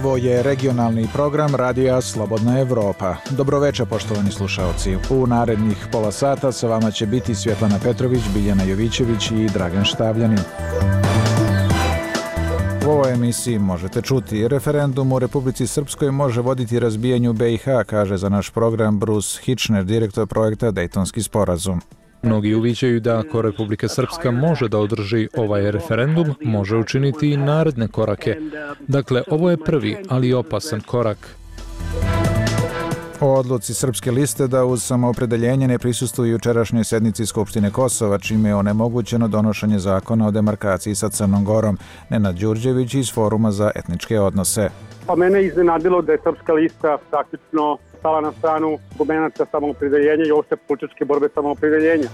Ovo je regionalni program Radija Slobodna Evropa. Dobroveče, poštovani slušaoci. U narednih pola sata sa vama će biti Svjetlana Petrović, Biljana Jovićević i Dragan Štavljanin. U ovoj emisiji možete čuti: referendum u Republici Srpskoj može voditi razbijanju BiH, kaže za naš program Bruce Hitchner, direktor projekta Dejtonski sporazum. Mnogi uviđaju da ako Republika Srpska može da održi ovaj referendum, može učiniti i naredne korake. Dakle, ovo je prvi, ali opasan korak. O odluci Srpske liste da uz samoopredeljenje ne prisustuju jučerašnjoj sednici Skupštine Kosova, čime je onemogućeno donošenje zakona o demarkaciji sa Crnom Gorom. Nenad Đurđević iz Foruma za etničke odnose. Pa mene je iznenadilo da je Srpska lista praktično stala na stranu argumenata samoopredeljenja i opšte političke borbe samoopredeljenja.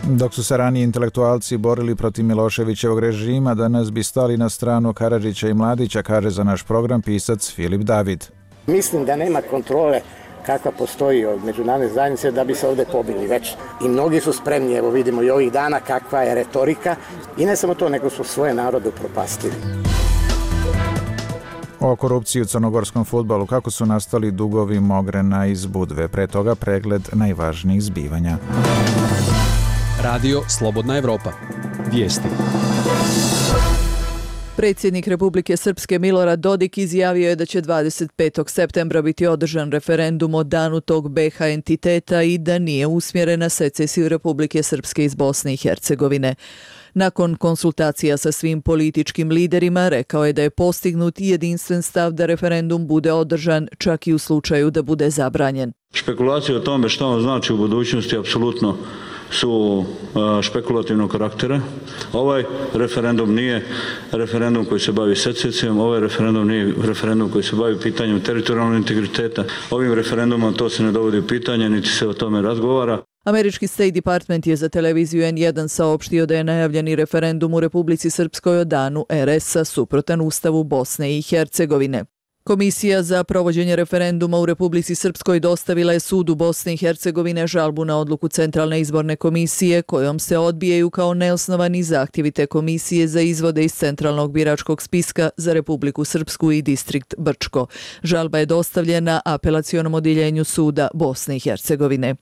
Dok su se ranije intelektualci borili protiv Miloševićevog režima, danas bi stali na stranu Karadžića i Mladića, kaže za naš program pisac Filip David. Mislim da nema kontrole kakva postoji od međunarodne zajednice da bi se ovdje pobili već. I mnogi su spremni, evo vidimo i ovih dana kakva je retorika. I ne samo to, nego su svoje narode upropastili. O korupciji u crnogorskom fudbalu, kako su nastali dugovi Mogrena iz Budve. Pre toga pregled najvažnijih zbivanja. Radio Slobodna Evropa. Vijesti. Predsjednik Republike Srpske Milorad Dodik izjavio je da će 25. septembra biti održan referendum o danu tog BiH entiteta i da nije usmjeren na secesiju Republike Srpske iz Bosne i Hercegovine. Nakon konsultacija sa svim političkim liderima, rekao je da je postignut jedinstven stav da referendum bude održan čak i u slučaju da bude zabranjen. Špekulacije o tome što on znači u budućnosti apsolutno su špekulativnog karaktera. Ovaj referendum nije referendum koji se bavi secesijom, ovaj referendum nije referendum koji se bavi pitanjem teritorijalnog integriteta. Ovim referendumom to se ne dovodi u pitanje, niti se o tome razgovara. Američki State Department je za televiziju N1 saopštio da je najavljeni referendum u Republici Srpskoj o danu RS-a suprotan Ustavu Bosne i Hercegovine. Komisija za provođenje referenduma u Republici Srpskoj dostavila je sudu Bosne i Hercegovine žalbu na odluku Centralne izborne komisije kojom se odbijaju kao neosnovani zahtjevi te komisije za izvode iz Centralnog biračkog spiska za Republiku Srpsku i distrikt Brčko. Žalba je dostavljena apelacionom odjeljenju suda Bosne i Hercegovine.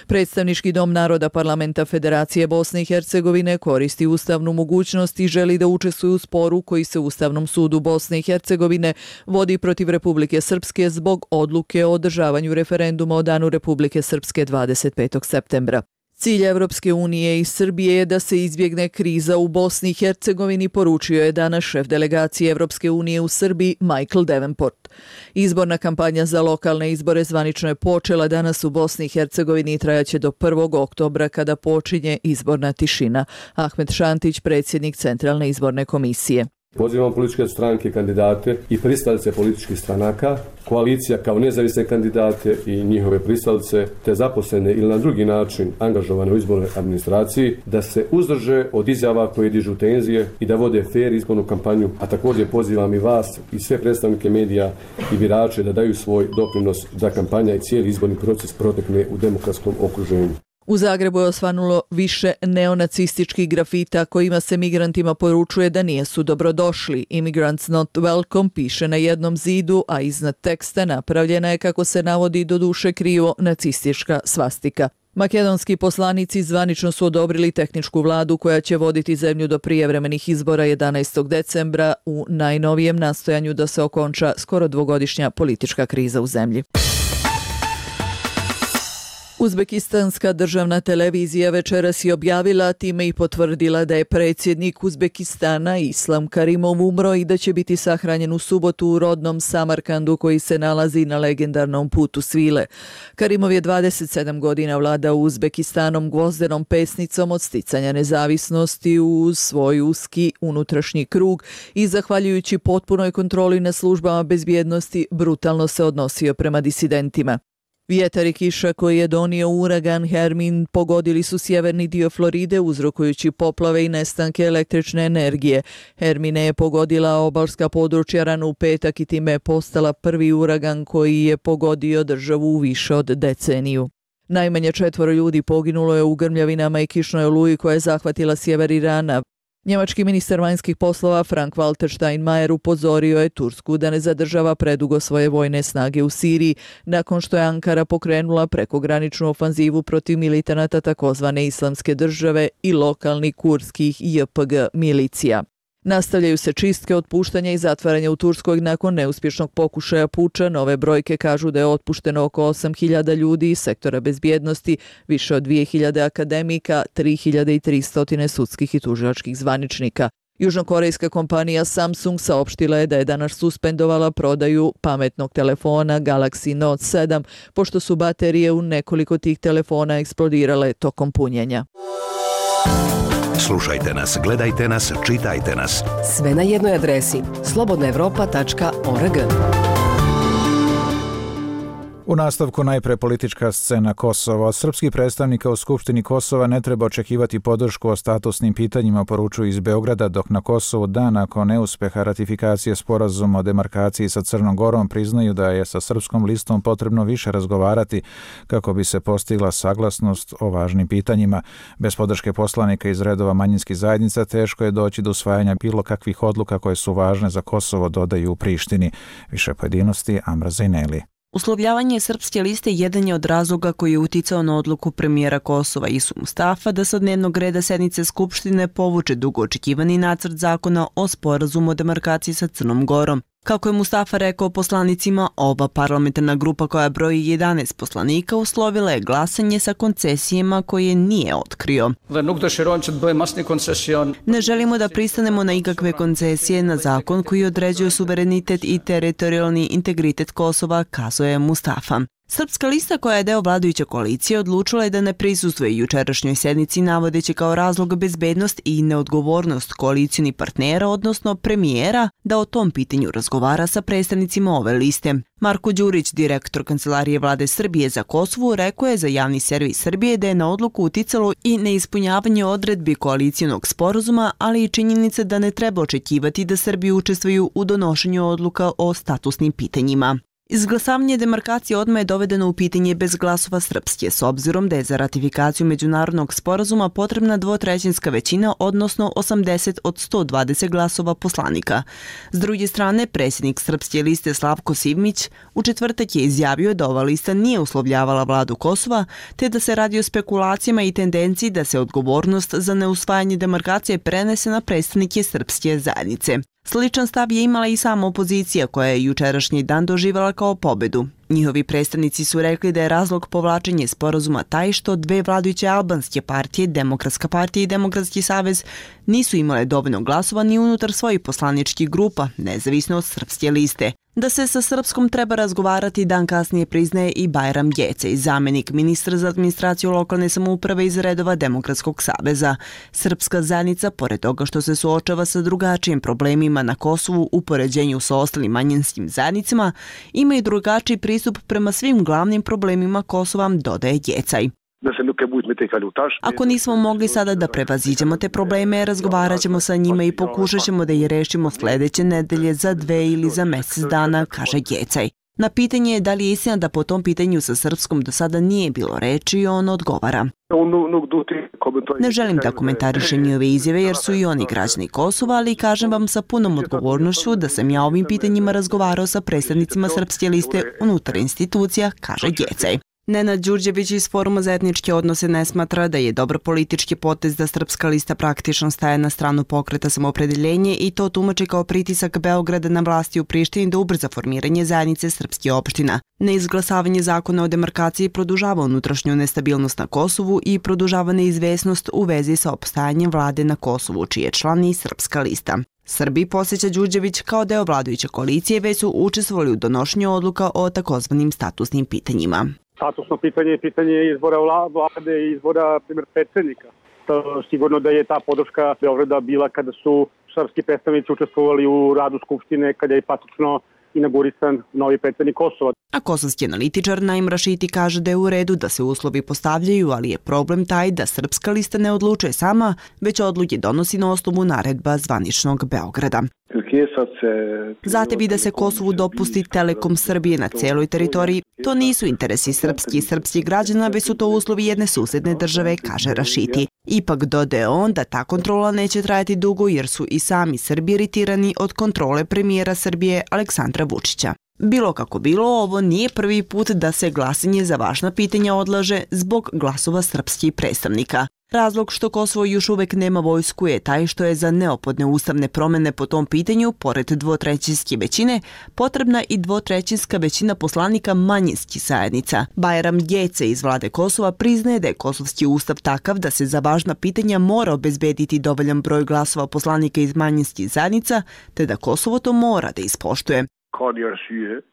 Predstavnički dom naroda Parlamenta Federacije Bosne i Hercegovine koristi ustavnu mogućnost i želi da učestvuje u sporu koji se Ustavnom sudu Bosne i Hercegovine vodi protiv Republike Srpske zbog odluke o održavanju referenduma o danu Republike Srpske 25. septembra. Cilj Evropske unije i Srbije je da se izbjegne kriza u Bosni i Hercegovini, poručio je danas šef delegacije Evropske unije u Srbiji Michael Davenport. Izborna kampanja za lokalne izbore zvanično je počela danas u Bosni i Hercegovini i trajaće do 1. oktobra kada počinje izborna tišina. Ahmed Šantić, predsjednik Centralne izborne komisije. Pozivam političke stranke, kandidate i pristalice političkih stranaka, koalicija kao nezavisne kandidate i njihove pristalice, te zaposlene ili na drugi način angažovane u izbornoj administraciji, da se uzdrže od izjava koje dižu tenzije i da vode fer izbornu kampanju, a također pozivam i vas i sve predstavnike medija i birače da daju svoj doprinos da kampanja i cijeli izborni proces protekne u demokratskom okruženju. U Zagrebu je osvanulo više neonacističkih grafita kojima se migrantima poručuje da nisu dobrodošli. Immigrants not welcome piše na jednom zidu, a iznad teksta napravljena je, kako se navodi, doduše krivo, nacistička svastika. Makedonski poslanici zvanično su odobrili tehničku vladu koja će voditi zemlju do prijevremenih izbora 11. decembra u najnovijem nastojanju da se okonča skoro dvogodišnja politička kriza u zemlji. Uzbekistanska državna televizija večeras je objavila, time i potvrdila da je predsjednik Uzbekistana Islam Karimov umro i da će biti sahranjen u subotu u rodnom Samarkandu koji se nalazi na legendarnom putu svile. Karimov je 27 godina vladao Uzbekistanom gvozdenom pesnicom od sticanja nezavisnosti uz svoj uski unutrašnji krug i zahvaljujući potpunoj kontroli na službama bezbjednosti brutalno se odnosio prema disidentima. Vjetar i kiša koji je donio uragan Hermin pogodili su sjeverni dio Floride uzrokujući poplave i nestanke električne energije. Hermine je pogodila obalska područja rano u petak i time je postala prvi uragan koji je pogodio državu u više od deceniju. Najmanje 4 ljudi poginulo je u grmljavinama i kišnoj oluji koja je zahvatila sjever Irana. Njemački ministar vanjskih poslova Frank-Walter Steinmeier upozorio je Tursku da ne zadržava predugo svoje vojne snage u Siriji, nakon što je Ankara pokrenula prekograničnu ofanzivu protiv militanata takozvane Islamske države i lokalnih kurdskih JPG milicija. Nastavljaju se čistke, otpuštanja i zatvaranja u Turskoj nakon neuspješnog pokušaja puča. Nove brojke kažu da je otpušteno oko 8.000 ljudi iz sektora bezbjednosti, više od 2.000 akademika, 3.300 sudskih i tužilačkih zvaničnika. Južnokorejska kompanija Samsung saopštila je da je danas suspendovala prodaju pametnog telefona Galaxy Note 7, pošto su baterije u nekoliko tih telefona eksplodirale tokom punjenja. Slušajte nas, gledajte nas, čitajte nas. Sve na jednoj adresi slobodnaevropa.org. U nastavku najpre politička scena Kosova. Od srpskih predstavnika u Skupštini Kosova ne treba očekivati podršku o statusnim pitanjima, poručuju iz Beograda, dok na Kosovu dan nakon neuspeha ratifikacije sporazuma o demarkaciji sa Crnom Gorom priznaju da je sa srpskom listom potrebno više razgovarati kako bi se postigla saglasnost o važnim pitanjima. Bez podrške poslanika iz redova manjinskih zajednica teško je doći do usvajanja bilo kakvih odluka koje su važne za Kosovo, dodaju u Prištini. Više pojedinosti Amra Zajneli. Uslovljavanje srpske liste jedan je od razloga koji je uticao na odluku premijera Kosova Isu Mustafa da sa od dnevnog reda sednice Skupštine povuče dugo očekivani nacrt zakona o sporazumu o demarkaciji sa Crnom Gorom. Kako je Mustafa rekao poslanicima, ova parlamentarna grupa koja broji 11 poslanika uslovila je glasanje sa koncesijama koje nije otkrio. Ne želimo da pristanemo na ikakve koncesije na zakon koji određuje suverenitet i teritorijalni integritet Kosova, kazao je Mustafa. Srpska lista, koja je deo vladajuće koalicije, odlučila je da ne prisustvuje jučerašnjoj sednici, navodeći kao razlog bezbednost i neodgovornost koalicijnih partnera, odnosno premijera, da o tom pitanju razgovara sa predstavnicima ove liste. Marko Đurić, direktor Kancelarije vlade Srbije za Kosovo, rekao je za javni servis Srbije da je na odluku uticalo i neispunjavanje odredbi koalicijonog sporazuma, ali i činjenica da ne treba očekivati da Srbi učestvuju u donošenju odluka o statusnim pitanjima. Izglasavanje demarkacije odmah je dovedeno u pitanje bez glasova Srpske, s obzirom da je za ratifikaciju međunarodnog sporazuma potrebna dvotrećinska većina, odnosno 80 od 120 glasova poslanika. S druge strane, predsjednik Srpske liste Slavko Sivmić u četvrtak je izjavio da ova lista nije uslovljavala vladu Kosova, te da se radi o spekulacijama i tendenciji da se odgovornost za neusvajanje demarkacije prenese na predstavnike srpske zajednice. Sličan stav je imala i sama opozicija, koja je jučerašnji dan doživjela kao pobedu. Njihovi predstavnici su rekli da je razlog povlačenja sporazuma taj što dve vladajuće albanske partije, Demokratska partija i Demokratski savez, nisu imale dovoljno glasova ni unutar svojih poslaničkih grupa, nezavisno od srpske liste. Da se sa Srpskom treba razgovarati dan kasnije priznaje i Bajram Gecej, zamjenik ministra za administraciju lokalne samouprave iz redova Demokratskog saveza. Srpska zajednica, pored toga što se suočava sa drugačijim problemima na Kosovu u poređenju sa ostalim manjinskim zajednicama, ima i drugačiji pristup prema svim glavnim problemima Kosova, dodaje Gecaj. Ako nismo mogli sada da prevaziđemo te probleme, razgovarat ćemo sa njima i pokušat ćemo da ih rešimo sljedeće nedelje, za 2 ili za mjesec dana, kaže Gecaj. Na pitanje je da li je istina da po tom pitanju sa Srpskom do sada nije bilo reči, on odgovara. Ne želim da komentarišem njihove izjave jer su i oni građani Kosova, ali kažem vam sa punom odgovornošću da sam ja ovim pitanjima razgovarao sa predstavnicima srpske liste unutar institucija, kaže Gecaj. Nenad Đurđević iz Foruma za etničke odnose ne smatra da je dobar politički potez da srpska lista praktično staje na stranu pokreta Samoopredeljenje i to tumači kao pritisak Beograda na vlasti u Prištini da ubrza formiranje zajednice srpskih opština. Neizglasavanje zakona o demarkaciji produžava unutrašnju nestabilnost na Kosovu i produžava neizvesnost u vezi sa opstajanjem vlade na Kosovu, čiji je član i srpska lista. Srbi, podsjeća Đurđević, kao deo vladajuće koalicije već su učestvovali u donošenju odluka o takozvanim statusnim pitanjima. Statusno pitanje je pitanje izbora vlade i izbora predsjednika. Sigurno da je ta podrška Beograda bila kada su srpski predstavnici učestvovali u radu Skupštine, kada je praktično inaugurisan novi predsjednik Kosova. A kosovski analitičar Naim Rašiti kaže da je u redu da se uslovi postavljaju, ali je problem taj da srpska lista ne odlučuje sama, već odluke donosi na osnovu naredba zvaničnog Beograda. Zahtev da se Kosovu dopusti Telekom Srbije na celoj teritoriji, to nisu interesi srpskih i srpskih građana, već su to uslovi jedne susedne države, kaže Rašiti. Ipak dodaje on da ta kontrola neće trajati dugo jer su i sami Srbi iritirani od kontrole premijera Srbije Aleksandra Vučića. Bilo kako bilo, ovo nije prvi put da se glasanje za važna pitanja odlaže zbog glasova srpskih predstavnika. Razlog što Kosovo još uvek nema vojsku je taj što je za neophodne ustavne promene po tom pitanju, pored dvotrećinske većine, potrebna i dvotrećinska većina poslanika manjinskih zajednica. Bajram Gece iz vlade Kosova priznaje da je kosovski ustav takav da se za važna pitanja mora obezbediti dovoljan broj glasova poslanika iz manjinskih zajednica, te da Kosovo to mora da ispoštuje.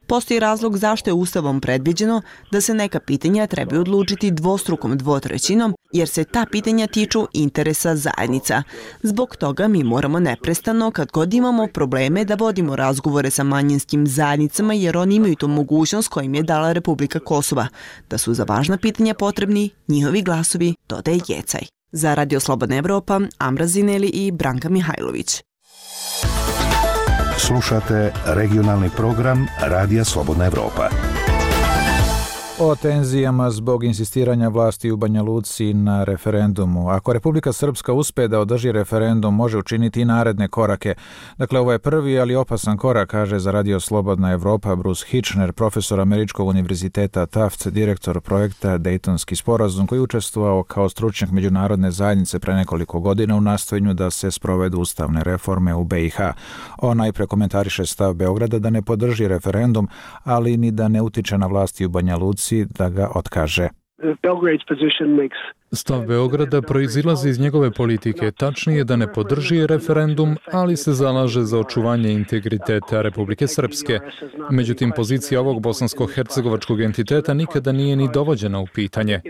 Postoji razlog zašto je Ustavom predviđeno da se neka pitanja trebaju odlučiti dvostrukom dvotrećinom, jer se ta pitanja tiču interesa zajednica. Zbog toga mi moramo neprestano, kad god imamo probleme, da vodimo razgovore sa manjinskim zajednicama, jer oni imaju tu mogućnost kojim je dala Republika Kosova, da su za važna pitanja potrebni njihovi glasovi, dodaje Jecaj. Za Radio Slobodna Evropa, Amra Zineli i Branka Mihajlović. Slušate regionalni program Radija Slobodna Evropa. O tenzijama zbog insistiranja vlasti u Banja Luci na referendumu. Ako Republika Srpska uspe da održi referendum, može učiniti i naredne korake. Dakle, ovo je prvi, ali opasan korak, kaže za Radio Slobodna Evropa Bruce Hitchner, profesor Američkog univerziteta Taft, direktor projekta Dejtonski sporazum, koji učestvovao kao stručnjak međunarodne zajednice pre nekoliko godina u nastojenju da se sprovedu ustavne reforme u BiH. On najpre komentariše stav Beograda da ne podrži referendum, ali ni da ne utiče na vlasti u Banja Luci da ga otkaže. Stav Beograda proizilazi iz njegove politike, tačnije da ne podrži referendum, ali se zalaže za očuvanje integriteta Republike Srpske. Međutim, pozicija ovog bosansko-hercegovačkog entiteta nikada nije ni dovođena u pitanje.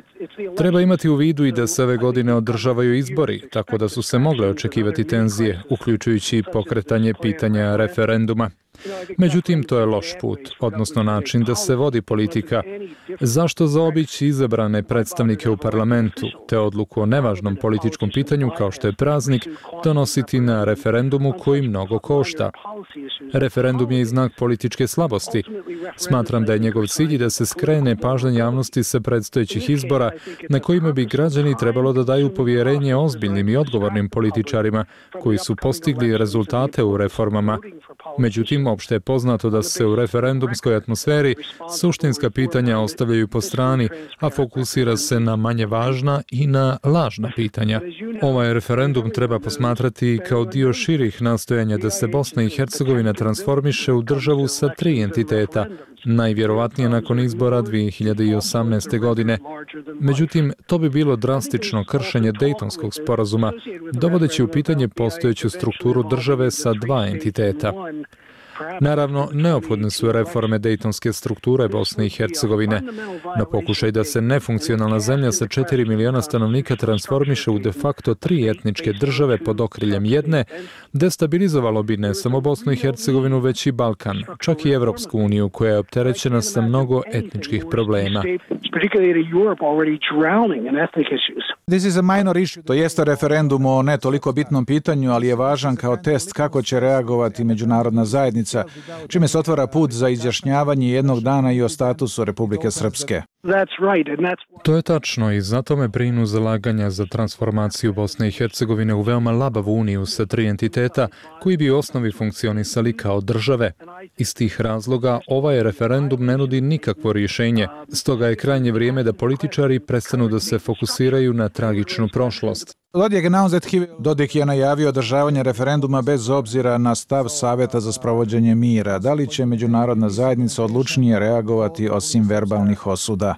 Treba imati u vidu i da se ove godine održavaju izbori, tako da su se mogle očekivati tenzije, uključujući pokretanje pitanja referenduma. Međutim, to je loš put, odnosno način da se vodi politika. Zašto zaobići izabrane predstavnike u parlamentu, te odluku o nevažnom političkom pitanju kao što je praznik, donositi na referendumu koji mnogo košta? Referendum je i znak političke slabosti. Smatram da je njegov cilj da se skrene pažnja javnosti sa predstojećih izbora na kojima bi građani trebalo da daju povjerenje ozbiljnim i odgovornim političarima koji su postigli rezultate u reformama. Međutim, opšte je poznato da se u referendumskoj atmosferi suštinska pitanja ostavljaju po strani, a fokusira se na manje važna i na lažna pitanja. Ovaj referendum treba posmatrati kao dio širih nastojanja da se Bosna i Hercegovina transformiše u državu sa 3 entiteta, najvjerovatnije nakon izbora 2018. godine. Međutim, to bi bilo drastično kršenje Dejtonskog sporazuma, dovodeći u pitanje postojeću strukturu države sa 2 entiteta. Naravno, neophodne su reforme dejtonske strukture Bosne i Hercegovine. Na pokušaj da se nefunkcionalna zemlja sa 4 miliona stanovnika transformiše u de facto 3 etničke države pod okriljem jedne, destabilizovalo bi ne samo Bosnu i Hercegovinu, već i Balkan, čak i Evropsku uniju, koja je opterećena sa mnogo etničkih problema. To jeste referendum o ne toliko bitnom pitanju, ali je važan kao test kako će reagovati međunarodna zajednica, čime se otvara put za izjašnjavanje jednog dana i o statusu Republike Srpske. To je tačno i zato me brinu zalaganja za transformaciju Bosne i Hercegovine u veoma labavu uniju sa 3 entiteta koji bi u osnovi funkcionisali kao države. Iz tih razloga ovaj referendum ne nudi nikakvo rješenje, stoga je krajnje vrijeme da političari prestanu da se fokusiraju na tragičnu prošlost. Dodik je najavio održavanje referenduma bez obzira na stav Saveta za sprovođenje mira. Da li će međunarodna zajednica odlučnije reagovati osim verbalnih osuda?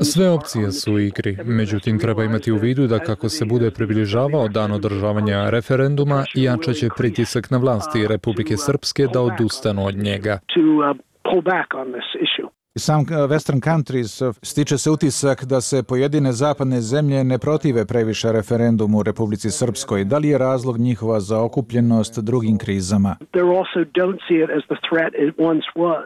Sve opcije su u igri, međutim treba imati u vidu da kako se bude približavao dan održavanja referenduma, jačaće pritisak na vlasti Republike Srpske da odustanu od njega. Some Western countries stiče se utisak da se pojedine zapadne zemlje ne protive previše referendumu u Republici Srpskoj. Da li je razlog njihova zaokupljenost drugim krizama?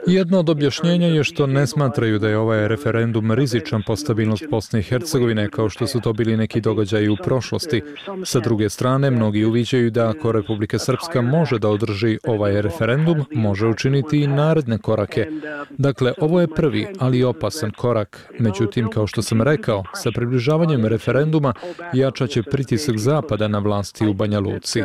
Jedno od objašnjenja je što ne smatraju da je ovaj referendum rizičan po stabilnost Bosne i Hercegovine kao što su to bili neki događaji u prošlosti. Sa druge strane, mnogi uviđaju da ako Republika Srpska može da održi ovaj referendum, može učiniti i naredne korake. Dakle, ovo je prvi, ali opasan korak. Međutim, kao što sam rekao, sa približavanjem referenduma jačat će pritisak Zapada na vlasti u Banja Luci.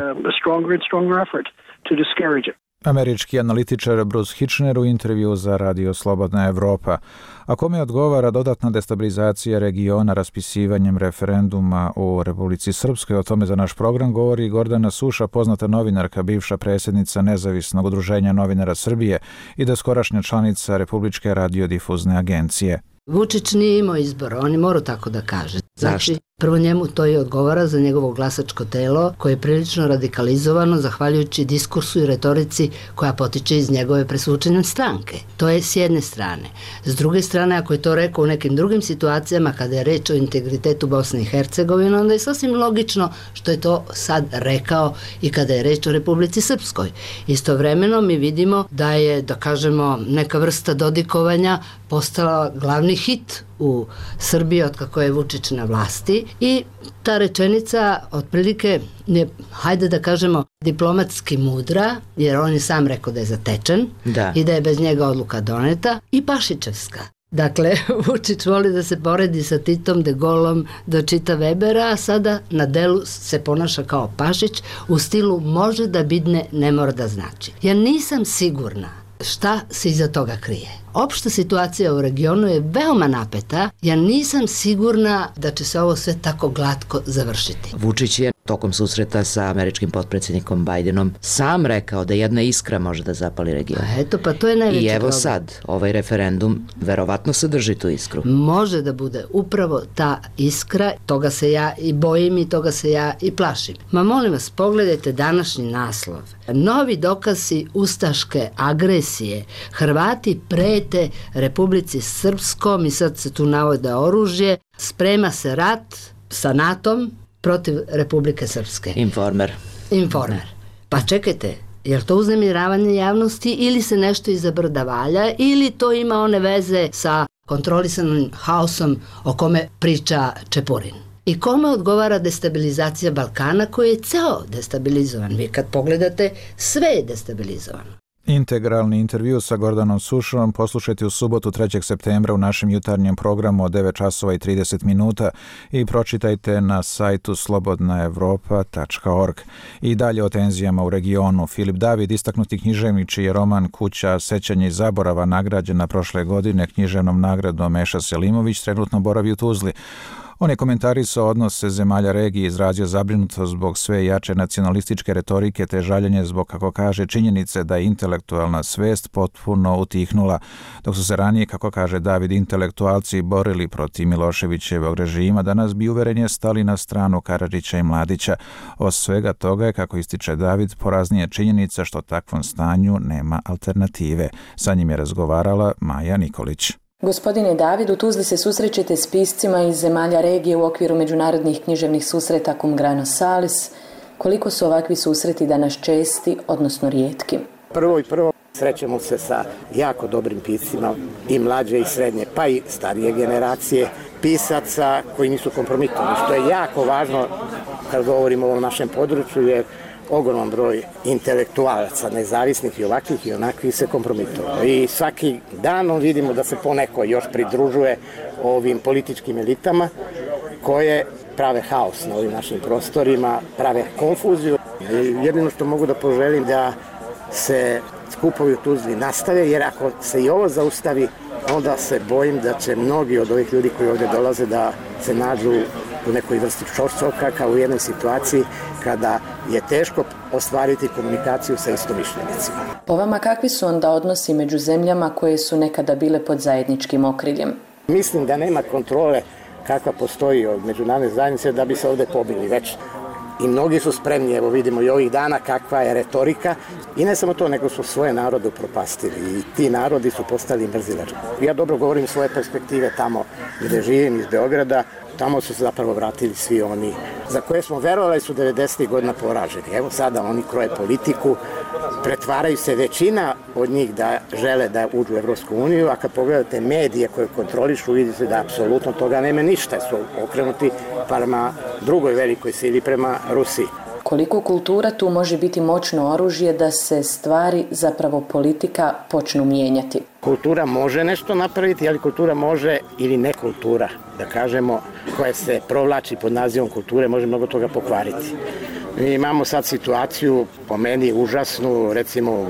Američki analitičar Bruce Hitchner u intervju za Radio Slobodna Evropa. A kome odgovara dodatna destabilizacija regiona raspisivanjem referenduma u Republici Srpskoj? O tome za naš program govori Gordana Suša, poznata novinarka, bivša predsjednica Nezavisnog udruženja novinara Srbije i doskorašnja članica Republičke radiodifuzne agencije. Vučić nije imao izbora, on je morao tako da kaže. Znači, prvo njemu to i odgovara za njegovo glasačko telo koje je prilično radikalizovano zahvaljujući diskursu i retorici koja potiče iz njegove presvučene stranke. To je s jedne strane. S druge strane, ako je to rekao u nekim drugim situacijama kada je reč o integritetu Bosne i Hercegovine, onda je sasvim logično što je to sad rekao i kada je reč o Republici Srpskoj. Istovremeno mi vidimo da je, da kažemo, neka vrsta dodikovanja postala glavni hit u Srbiji od kako je Vučić na vlasti i ta rečenica otprilike je, hajde da kažemo, diplomatski mudra, jer on je sam rekao da je zatečen i da je bez njega odluka doneta, i pašićevska. Dakle, Vučić voli da se poredi sa Titom, De Gaulom do Čita Webera, a sada na delu se ponaša kao Pašić u stilu može da bidne, ne mora da znači. Ja nisam sigurna šta se iza toga krije. Opšta situacija u regionu je veoma napeta. Ja nisam sigurna da će se ovo sve tako glatko završiti. Vučić je tokom susreta sa američkim potpredsjednikom Bidenom sam rekao da jedna iskra može da zapali region. Eto, pa to je najveći problem. I evo sad, ovaj referendum verovatno sadrži tu iskru. Može da bude upravo ta iskra, toga se ja i bojim i toga se ja i plašim. Ma molim vas, pogledajte današnji naslov. Novi dokazi ustaške agresije. Hrvati prete Republici Srpskom i sad se tu navode oružje. Sprema se rat sa NATO-om protiv Republike Srpske. Informer. Pa čekajte, je li to uznemiravanje javnosti ili se nešto iza brda valja ili to ima one veze sa kontrolisanim haosom o kome priča Čepurin? I kome odgovara destabilizacija Balkana koji je ceo destabilizovan? Vi kad pogledate, sve je destabilizovano. Integralni intervju sa Gordanom Sušom poslušajte u subotu 3. septembra u našem jutarnjem programu od 9 časova i 30 minuta i pročitajte na sajtu slobodnaevropa.org. I dalje o tenzijama u regionu. Filip David, istaknuti književnik čiji je roman Kuća sećanja i zaborava nagrađena prošle godine književnom nagradom Meša Selimović, trenutno boravi u Tuzli. On je komentarisao odnose zemalja regije, izrazio zabrinutost zbog sve jače nacionalističke retorike te žaljenje zbog, kako kaže, činjenice da je intelektualna svest potpuno utihnula, dok su se ranije, kako kaže David, intelektualci borili protiv Miloševićevog režima, danas bi uverenje stali na stranu Karadžića i Mladića. Od svega toga je, kako ističe David, poraznije činjenica što takvom stanju nema alternative. Sa njim je razgovarala Maja Nikolić. Gospodine David, u Tuzli se susrećete s piscima iz zemalja regije u okviru međunarodnih književnih susreta Cum Grano Salis. Koliko su ovakvi susreti danas česti, odnosno rijetki? Prvo srećemo se sa jako dobrim piscima i mlađe i srednje, pa i starije generacije pisaca koji nisu kompromitovani, što je jako važno kad govorimo o ovom našem području, jer ogroman broj intelektualaca, nezavisnih i ovakvih i onakvih se kompromitovao. I svaki dan vidimo da se poneko još pridružuje ovim političkim elitama koje prave haos na ovim našim prostorima, prave konfuziju. Jedino što mogu da poželim da se skupovi u Tuzli nastave, jer ako se i ovo zaustavi, onda se bojim da će mnogi od ovih ljudi koji ovdje dolaze da se nađu u nekoj vrsti čorsoka, kao u jednoj situaciji kada je teško ostvariti komunikaciju sa istomišljenicima. Po vama, kakvi su onda odnosi među zemljama koje su nekada bile pod zajedničkim okriljem? Mislim da nema kontrole kakva postoji od međunarodne zajednice da bi se ovdje pobili već. I mnogi su spremni, evo vidimo i ovih dana kakva je retorika. I ne samo to, nego su svoje narode upropastili i ti narodi su postali mrzilački. Ja dobro govorim svoje perspektive tamo gdje živim, iz Beograda. Tamo su se zapravo vratili svi oni za koje smo verovali su 90. godina poraženi. Evo sada oni kroje politiku, pretvaraju se većina od njih da žele da uđu u Evropsku uniju, a kad pogledate medije koje kontrolišu, vidite da apsolutno toga nema ništa, su okrenuti prema drugoj velikoj sili, prema Rusiji. Koliko kultura tu može biti moćno oružje da se stvari, zapravo politika, počnu mijenjati? Kultura može nešto napraviti, ali kultura može ili ne kultura, da kažemo, koja se provlači pod nazivom kulture, može mnogo toga pokvariti. Mi imamo sad situaciju, po meni užasnu, recimo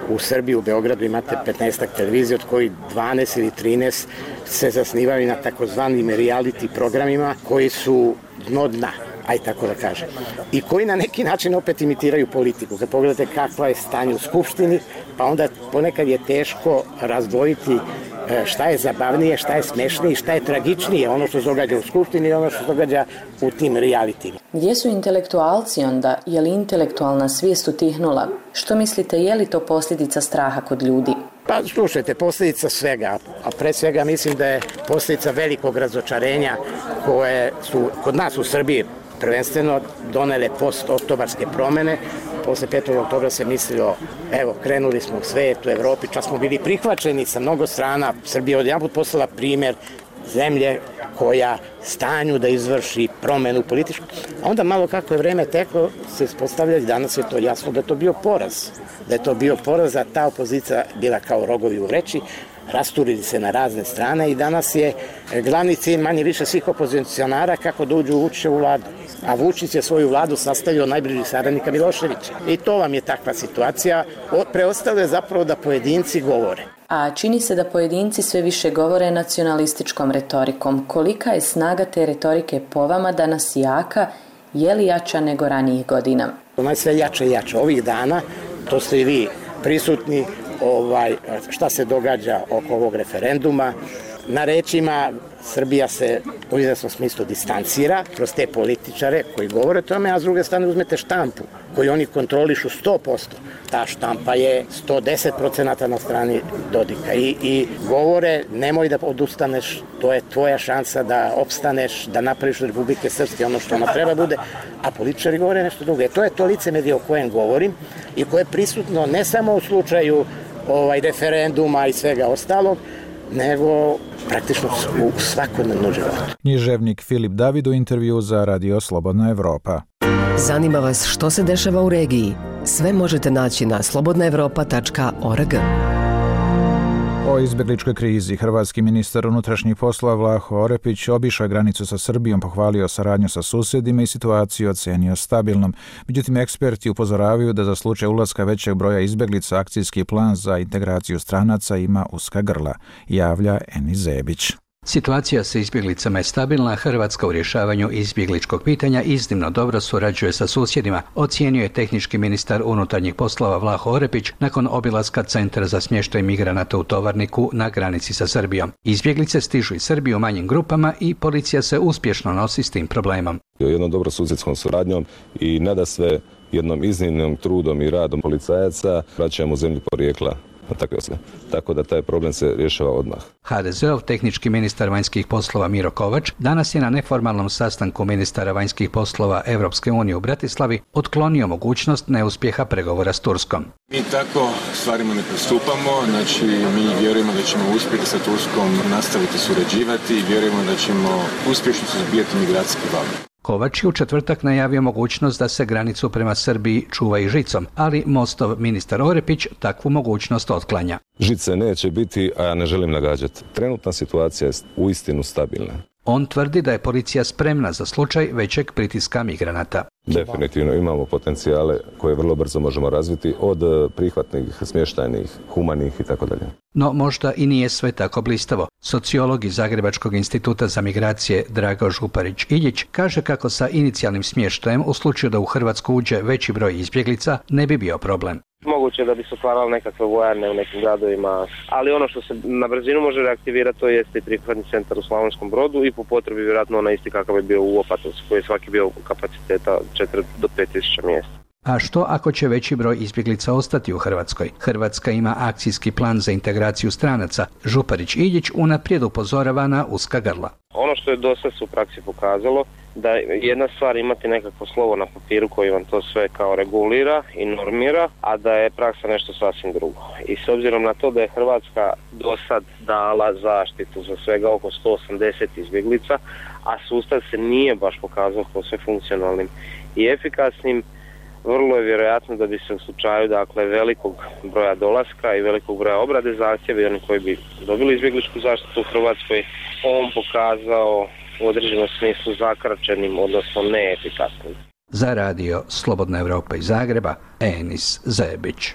u Srbiji, u Beogradu imate 15 televizija, od kojih 12 ili 13 se zasnivaju na takozvanim reality programima koji su dno dna, aj tako da kažem, i koji na neki način opet imitiraju politiku. Kad pogledate kakva je stanje u Skupštini, pa onda ponekad je teško razdvojiti šta je zabavnije, šta je smešnije, šta je tragičnije, ono što se događa u Skupštini i ono što se događa u tim realitima. Gdje su intelektualci onda? Je li intelektualna svijest utihnula? Što mislite, je li to posljedica straha kod ljudi? Pa slušajte, posljedica svega, a pre svega mislim da je posljedica velikog razočarenja koje su kod nas u Srbiji prvenstveno donele post-oktobarske promene. Posle 5. oktobra se mislilo, evo, krenuli smo u svijet, u Evropi, čak smo bili prihvaćeni sa mnogo strana. Srbija odjedanput postala primjer zemlje koja stanju da izvrši promenu političku. A onda malo kako je vreme teklo, se ispostavlja i danas je to jasno da je to bio poraz. Da je to bio poraz, a ta opozicija bila kao rogovi u vreći, rasturili se na razne strane i danas je glavni cilj manje više svih opozicionara kako da uđu u Vučićevu vladu. A Vučić je svoju vladu sastavio od najbližih saradnika Miloševića. I to vam je takva situacija. Preostalo je zapravo da pojedinci govore. A čini se da pojedinci sve više govore nacionalističkom retorikom. Kolika je snaga te retorike po vama danas jaka? Je li jača nego ranijih godina? Ona je sve jača i jača. Ovih dana, to ste i vi prisutni, šta se događa oko ovog referenduma. Na rečima Srbija se u izvesnom smislu distancira kroz te političare koji govore o tome, a s druge strane uzmete štampu koju oni kontrolišu 100%. Ta štampa je 110% na strani Dodika i govore nemoj da odustaneš, to je tvoja šansa da opstaneš, da napraviš od Republike Srpske ono što ona treba bude, a političari govore nešto drugo. To je to licemerje o kojem govorim i koje je prisutno ne samo u slučaju referenduma i svega ostalog, nego praktično u svakodnevnom životu. Književnik Filip David u intervju za Radio Slobodna Evropa. Zanima vas što se dešava u regiji? Sve možete naći na slobodnaevropa.org. O izbjegličkoj krizi hrvatski ministar unutrašnjih poslova Vlaho Orepić obišao granicu sa Srbijom, pohvalio saradnju sa susjedima i situaciju ocenio stabilnom. Međutim, eksperti upozoravaju da za slučaj ulaska većeg broja izbjeglica akcijski plan za integraciju stranaca ima uska grla, javlja Eni Zebić. Situacija sa izbjeglicama je stabilna, Hrvatska u rješavanju izbjegličkog pitanja iznimno dobro surađuje sa susjedima, ocijenio je tehnički ministar unutarnjih poslova Vlaho Orepić nakon obilaska Centra za smještaj migranata u Tovarniku na granici sa Srbijom. Izbjeglice stižu iz Srbije u manjim grupama i policija se uspješno nosi s tim problemom. Jednom dobro susjedskom suradnjom i nadasve jednom iznimnim trudom i radom policajaca vraćamo u zemlju porijekla. Tako da taj problem se rješava odmah. HDZ-ov tehnički ministar vanjskih poslova Miro Kovač danas je na neformalnom sastanku ministara vanjskih poslova Europske unije u Bratislavi otklonio mogućnost neuspjeha pregovora s Turskom. Mi tako stvarima ne pristupamo, znači mi vjerujemo da ćemo uspjeti sa Turskom nastaviti surađivati i vjerujemo da ćemo uspješno suzbijati migracijski val. Kovač je u četvrtak najavio mogućnost da se granicu prema Srbiji čuva i žicom, ali Mostov ministar Orepić takvu mogućnost otklanja. Žice neće biti, a ja ne želim nagađati. Trenutna situacija je uistinu stabilna. On tvrdi da je policija spremna za slučaj većeg pritiska migranata. Definitivno imamo potencijale koje vrlo brzo možemo razviti od prihvatnih, smještajnih, humanih itd. No možda i nije sve tako blistavo. Sociolog iz Zagrebačkog instituta za migracije Drago Župarić-Iljić kaže kako sa inicijalnim smještajem u slučaju da u Hrvatsku uđe veći broj izbjeglica ne bi bio problem. Moguće da bi se otvarale nekakve vojarne u nekim gradovima, ali ono što se na brzinu može reaktivirati to jeste i prihvatni centar u Slavonskom Brodu i po potrebi vjerojatno onaj isti kakav je bio u Opatovcu koji je svaki bio kapaciteta 4 do 5 tisuća mjesta. A što ako će veći broj izbjeglica ostati u Hrvatskoj? Hrvatska ima akcijski plan za integraciju stranaca. Župarić-Iljić unaprijed upozorava na uska grla. Ono što je dosad u praksi pokazalo da jedna stvar imati nekakvo slovo na papiru koji vam to sve kao regulira i normira, a da je praksa nešto sasvim drugo. I s obzirom na to da je Hrvatska dosad dala zaštitu za svega oko 180 izbjeglica, a sustav se nije baš pokazao kao sve funkcionalnim i efikasnim, vrlo je vjerojatno da bi se u slučaju velikog broja dolaska i velikog broja obrade zahtjeva i oni koji bi dobili izbjegličku zaštitu u Hrvatskoj, on pokazao u određenom smislu zakračenim, odnosno neefikasnim. Za radio Slobodna Evropa iz Zagreba, Enis Zebić.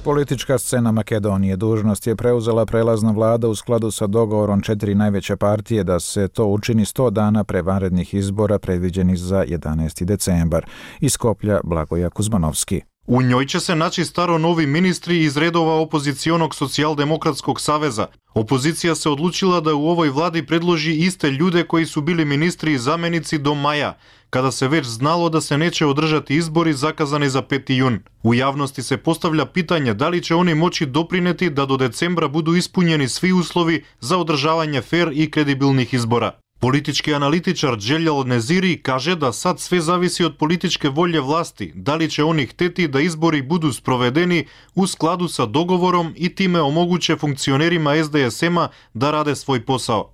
Politička scena Makedonije dužnost je preuzela prelazna vlada u skladu sa dogovorom 4 najveće partije da se to učini 100 dana pre vanrednih izbora predviđenih za 11. decembar. Iz Skoplja Blagoja Kuzmanovski. U njoj će se naći staro novi ministri iz redova opozicionog socijaldemokratskog saveza. Opozicija se odlučila da u ovoj vladi predloži iste ljude koji su bili ministri i zamenici do maja, kada se već znalo da se neće održati izbori zakazani za 5. jun. U javnosti se postavlja pitanje da li će oni moći doprineti da do decembra budu ispunjeni svi uslovi za održavanje fer i kredibilnih izbora. Politički analitičar Dželjal Neziri kaže da sad sve zavisi od političke volje vlasti, da li će oni hteti da izbori budu sprovedeni u skladu sa dogovorom i time omoguće funkcionerima SDSM-a da rade svoj posao.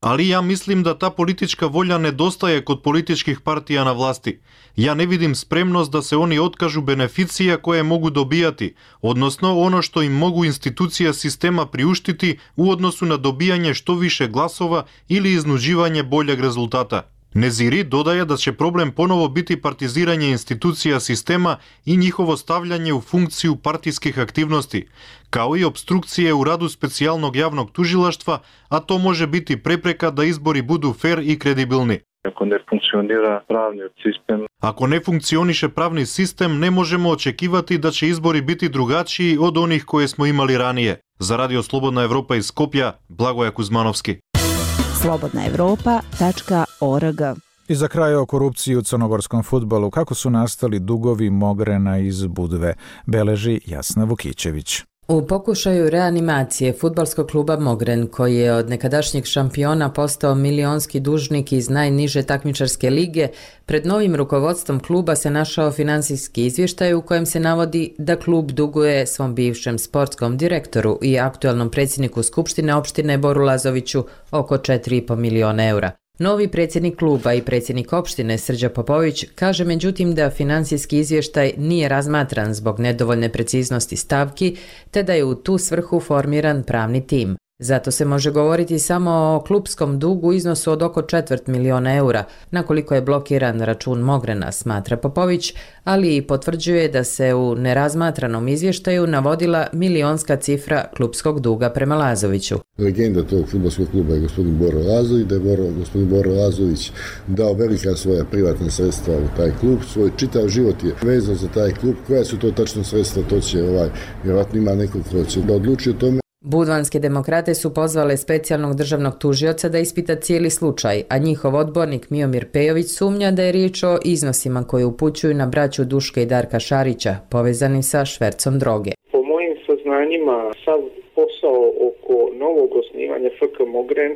Ali ja mislim da ta politička volja nedostaje kod političkih partija na vlasti. Ja ne vidim spremnost da se oni otkažu beneficija koje mogu dobijati, odnosno ono što im mogu institucija sistema priuštiti u odnosu na dobijanje što više glasova ili iznuđivanje boljeg rezultata. Neziri dodaje da će problem ponovo biti partiziranje institucija sistema i njihovo stavljanje u funkciju partijskih aktivnosti, kao i opstrukcije u radu specijalnog javnog tužilaštva, a to može biti prepreka da izbori budu fer i kredibilni. Ako ne funkcioniše pravni sistem, ne možemo očekivati da će izbori biti drugačiji od onih koje smo imali ranije. Za radio Slobodna Evropa iz Skopja, Blagoja Kuzmanovski. slobodnaevropa.org. I za kraj o korupciji u crnogorskom fudbalu, kako su nastali dugovi Mogrena iz Budve, beleži Jasna Vukićević. U pokušaju reanimacije fudbalskog kluba Mogren, koji je od nekadašnjeg šampiona postao milionski dužnik iz najniže takmičarske lige, pred novim rukovodstvom kluba se našao finansijski izvještaj u kojem se navodi da klub duguje svom bivšem sportskom direktoru i aktualnom predsjedniku Skupštine opštine Boru Lazoviću oko 4,5 miliona eura. Novi predsjednik kluba i predsjednik opštine Srđa Popović kaže međutim da financijski izvještaj nije razmatran zbog nedovoljne preciznosti stavki, te da je u tu svrhu formiran pravni tim. Zato se može govoriti samo o klupskom dugu u iznosu od oko 250.000 eura, na koliko je blokiran račun Mogrena, smatra Popović, ali i potvrđuje da se u nerazmatranom izvještaju navodila milionska cifra klupskog duga prema Lazoviću. Legenda tog fudbalskog kluba je gospodin Boro Lazović, da je gospodin Boro Lazović dao velika svoja privatna sredstva u taj klub, svoj čitav život je vezan za taj klub. Koja su to tačno sredstva, to će vjerojatno ima nekog ko će da odluči o tome. Budvanske demokrate su pozvale specijalnog državnog tužioca da ispita cijeli slučaj, a njihov odbornik Miomir Pejović sumnja da je riječ o iznosima koje upućuju na braću Duška i Darka Šarića, povezanim sa švercom droge. Po mojim saznanjima, sav posao oko novog osnivanja FK Mogren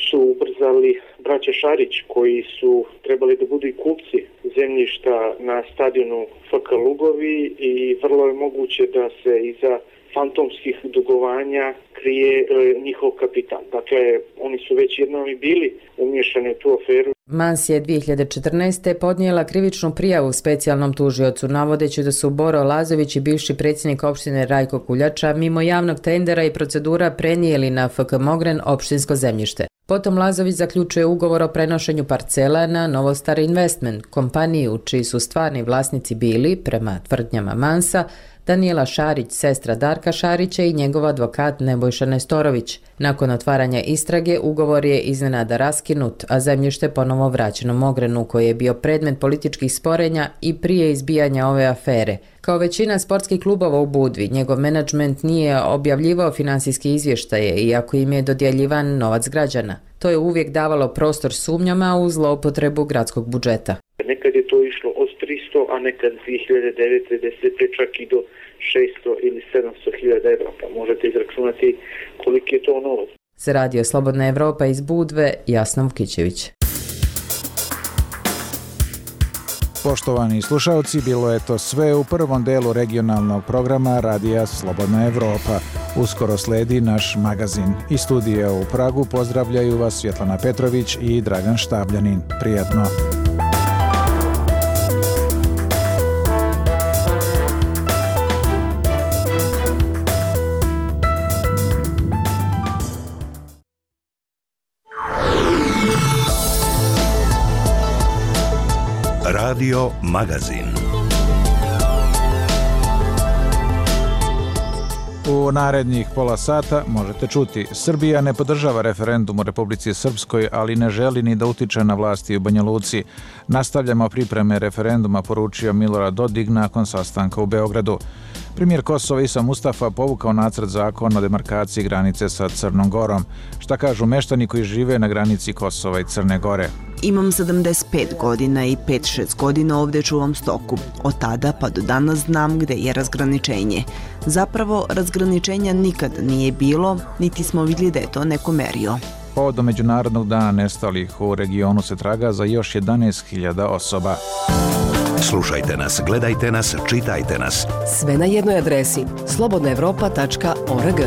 su ubrzali braća Šarić, koji su trebali da budu i kupci zemljišta na stadionu FK Lugovi i vrlo je moguće da se iza fantomskih dugovanja krije njihov kapital. Dakle, oni su već jednom i bili umiješani u tu aferu. Mans je 2014. podnijela krivičnu prijavu specijalnom tužiocu, navodeći da su Boro Lazović i bivši predsjednik opštine Rajko Kuljača mimo javnog tendera i procedura prenijeli na FK Mogren opštinsko zemljište. Potom Lazović zaključuje ugovor o prenošenju parcela na Novostar Investment, kompaniju čiji su stvarni vlasnici bili, prema tvrdnjama Mansa, Danijela Šarić, sestra Darka Šarića i njegov advokat Nebojša Nestorović. Nakon otvaranja istrage, ugovor je iznenada raskinut, a zemljište ponovo vraćeno Mogrenu, koji je bio predmet političkih sporenja i prije izbijanja ove afere. Kao većina sportskih klubova u Budvi, njegov menadžment nije objavljivao finansijske izvještaje, iako im je dodjeljivan novac građana. To je uvijek davalo prostor sumnjama u zloupotrebu gradskog budžeta. Nekad je to išlo od 300, a nekad 2009. 10. čak i do 600 ili 700.000 evra, pa možete izračunati koliki je to novac. Za radio Slobodna Evropa iz Budve, Jasna Vukićević. Poštovani slušalci, bilo je to sve u prvom delu regionalnog programa Radija Slobodna Evropa. Uskoro sledi naš magazin. Iz studija u Pragu pozdravljaju vas Svjetlana Petrović i Dragan Štabljanin. Prijatno! Radio Magazin. U narednih pola sata možete čuti: Srbija ne podržava referendum u Republici Srpskoj, ali ne želi ni da utiče na vlasti u Banja Luci. Nastavljamo pripreme referenduma, poručio Milorad Dodik nakon sastanka u Beogradu. Premijer Kosova Isa Mustafa povukao nacrt zakona o demarkaciji granice sa Crnom Gorom. Šta kažu meštani koji žive na granici Kosova i Crne Gore? Imam 75 godina i 5-6 godina ovdje čuvam stoku. Od tada pa do danas znam gde je razgraničenje. Zapravo, razgraničenja nikad nije bilo, niti smo vidjeli da je to neko merio. Povodom Međunarodnog dana nestalih u regionu se traga za još 11.000 osoba. Slušajte nas, gledajte nas, čitajte nas. Sve na jednoj adresi: slobodnaevropa.org.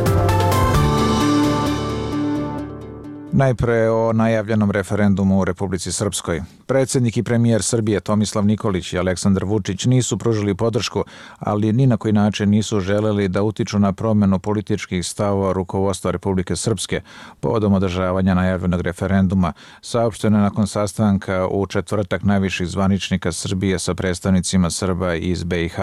Najpre o najavljenom referendumu u Republici Srpskoj. Predsjednik i premijer Srbije Tomislav Nikolić i Aleksandar Vučić nisu pružili podršku, ali ni na koji način nisu želeli da utiču na promjenu političkih stavova rukovodstva Republike Srpske povodom održavanja najavljenog referenduma, saopšteno nakon sastanka u četvrtak najviših zvaničnika Srbije sa predstavnicima Srba iz BiH.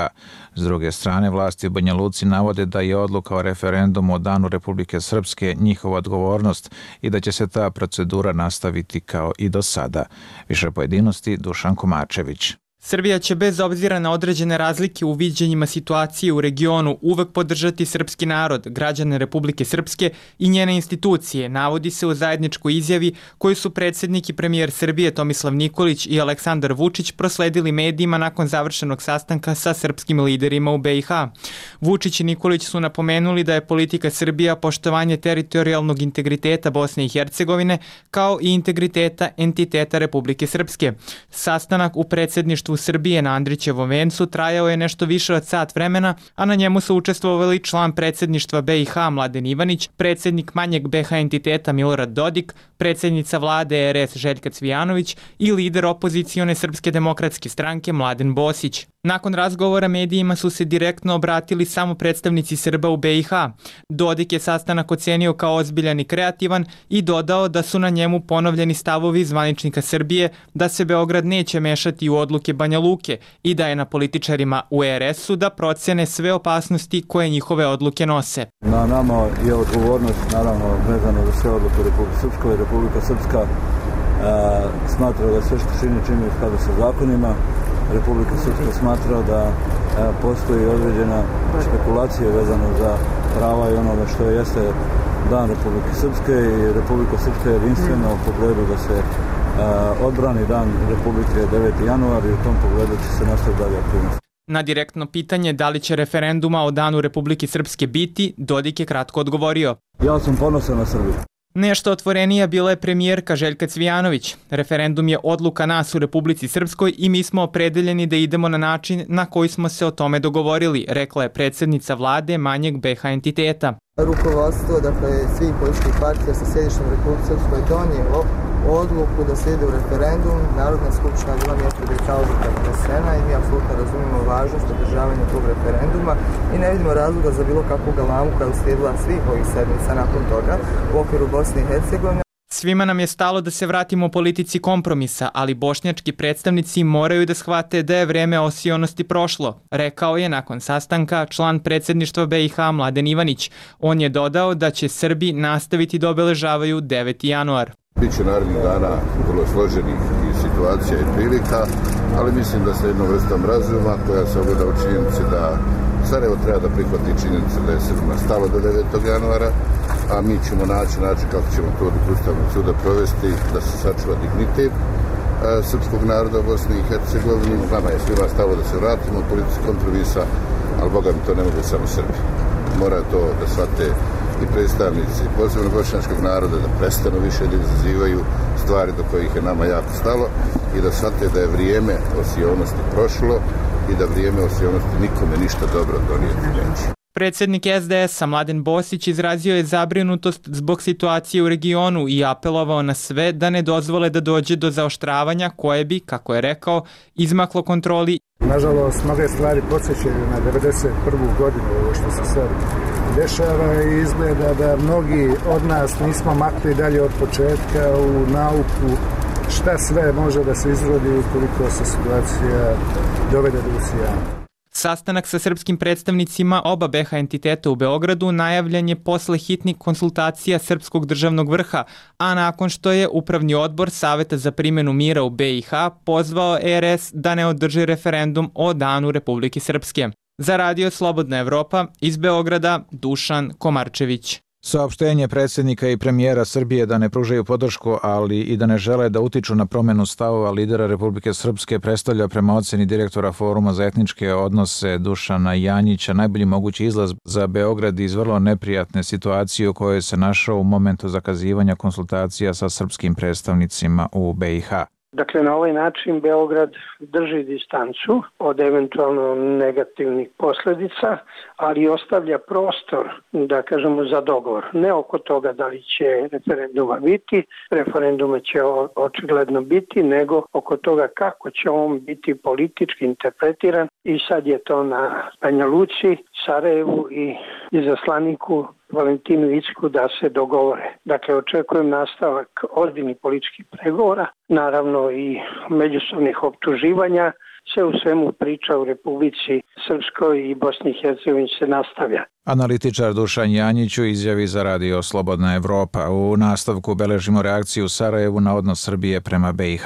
S druge strane, vlasti u Banja Luci navode da je odluka o referendumu o Danu Republike Srpske njihova odgovornost i da će se ta procedura nastaviti kao i do sada. Više pojedinosti Dušan Komačević. Srbija će bez obzira na određene razlike u viđenjima situacije u regionu uvek podržati srpski narod, građane Republike Srpske i njene institucije, navodi se u zajedničkoj izjavi koju su predsjednik i premijer Srbije Tomislav Nikolić i Aleksandar Vučić prosledili medijima nakon završenog sastanka sa srpskim liderima u BiH. Vučić i Nikolić su napomenuli da je politika Srbija poštovanje teritorijalnog integriteta Bosne i Hercegovine kao i integriteta entiteta Republike Srpske. Sastanak u predsjedništvu Srbije na Andrićevom vencu trajao je nešto više od sat vremena, a na njemu su učestvovali član predsjedništva BiH Mladen Ivanić, predsjednik manjeg BiH entiteta Milorad Dodik, predsjednica vlade RS Željka Cvijanović i lider opozicione Srpske demokratske stranke Mladen Bosić. Nakon razgovora medijima su se direktno obratili samo predstavnici Srba u BiH. Dodik je sastanak ocenio kao ozbiljan i kreativan i dodao da su na njemu ponovljeni stavovi zvaničnika Srbije da se Beograd neće mešati u odluke Banja Luke i da je na političarima u RS-u da procene sve opasnosti koje njihove odluke nose. Na nama je odgovornost, naravno, vezano za sve odluke Republike Srpskoj. Republika Srpska smatra da sve što čini u skladu sa zakonima. Republika Srpska smatra da postoji određena spekulacija vezano za prava i onome što jeste Dan Republike Srpske i Republika Srpska je jedinstvena u pogledu da se odbrani Dan Republike 9. januar i u tom pogledu će se nastaviti dalje aktivnosti. Na direktno pitanje da li će referenduma o Danu Republike Srpske biti, Dodik je kratko odgovorio: Ja sam ponosan na Srbiju. Nešto otvorenija bila je premijerka Željka Cvijanović. Referendum je odluka nas u Republici Srpskoj i mi smo opredeljeni da idemo na način na koji smo se o tome dogovorili, rekla je predsjednica vlade manjeg BiH entiteta. Rukovodstvo, dakle, svih političkih partija sa sjedištem u Republici Srpskoj donijelo odluku da se ide u referendum. Narodna skupština bila mjesto da je ta odluka donesena i mi apsolutno razumijemo važnost održavanja tog referenduma i ne vidimo razloga za bilo kakvu galamu koja je uslijedila svih ovih sedmica nakon toga u okviru Bosne i Hercegovine. Svima nam je stalo da se vratimo politici kompromisa, ali bošnjački predstavnici moraju da shvate da je vreme osionosti prošlo, rekao je nakon sastanka član predsjedništva BiH Mladen Ivanić. On je dodao da će Srbi nastaviti da obeležavaju 9. januar. Biće narednih dana vrlo složenih situacija i prilika, ali mislim da sa jednom vrstom razuma koja se ogleda u činjenici da Sarajevo treba da prihvati činjenicu da je Srbima stalo do 9. januara, a mi ćemo naći način kako ćemo to od Ustavnog suda provesti, da se sačuva dignitet srpskog naroda u Bosni i Hercegovini. Nama je svima stalo da se vratimo u politici kompromisa, ali Boga mi to ne mogu samo Srbi. Mora to da shvate i predstavnici posebno bošnjačkog naroda, da prestanu više da izazivaju stvari do kojih je nama jako stalo i da shvate da je vrijeme osionosti prošlo i da vrijeme osionosti nikome ništa dobro donijeti neće. Predsjednik SDS-a Mladen Bosić izrazio je zabrinutost zbog situacije u regionu i apelovao na sve da ne dozvole da dođe do zaoštravanja koje bi, kako je rekao, izmaklo kontroli. Nažalost, mnoge stvari podsjećaju na 1991. godinu, ovo što se sad dešava i izgleda da mnogi od nas nismo makli dalje od početka u nauku šta sve može da se izrodi ukoliko se situacija dovede do usijanja. Sastanak sa srpskim predstavnicima oba BiH entiteta u Beogradu najavljen je posle hitnih konsultacija Srpskog državnog vrha, a nakon što je Upravni odbor Saveta za primjenu mira u BiH pozvao RS da ne održi referendum o Danu Republike Srpske. Za Radio Slobodna Evropa iz Beograda, Dušan Komarčević. Saopštenje predsjednika i premijera Srbije da ne pružaju podršku, ali i da ne žele da utiču na promjenu stavova lidera Republike Srpske predstavlja prema oceni direktora Foruma za etničke odnose Dušana Janjića najbolji mogući izlaz za Beograd iz vrlo neprijatne situacije u kojoj se našao u momentu zakazivanja konsultacija sa srpskim predstavnicima u BiH. Dakle, na ovaj način Beograd drži distancu od eventualno negativnih posljedica, ali ostavlja prostor, da kažemo, za dogovor. Ne oko toga da li će referenduma biti, referenduma će očigledno biti, nego oko toga kako će on biti politički interpretiran i sad je to na Banja Luci, Sarajevu i izaslaniku Valentinu Incku da se dogovore. Dakle, očekujem nastavak ozbiljnih političkih pregovora, naravno i međusobnih optuživanja. Sve u svemu priča u Republici Srpskoj i Bosni i Hercegovini se nastavlja. Analitičar Dušan Janjić u izjavi za Radio Slobodna Evropa. U nastavku beležimo reakciju u Sarajevu na odnos Srbije prema BiH.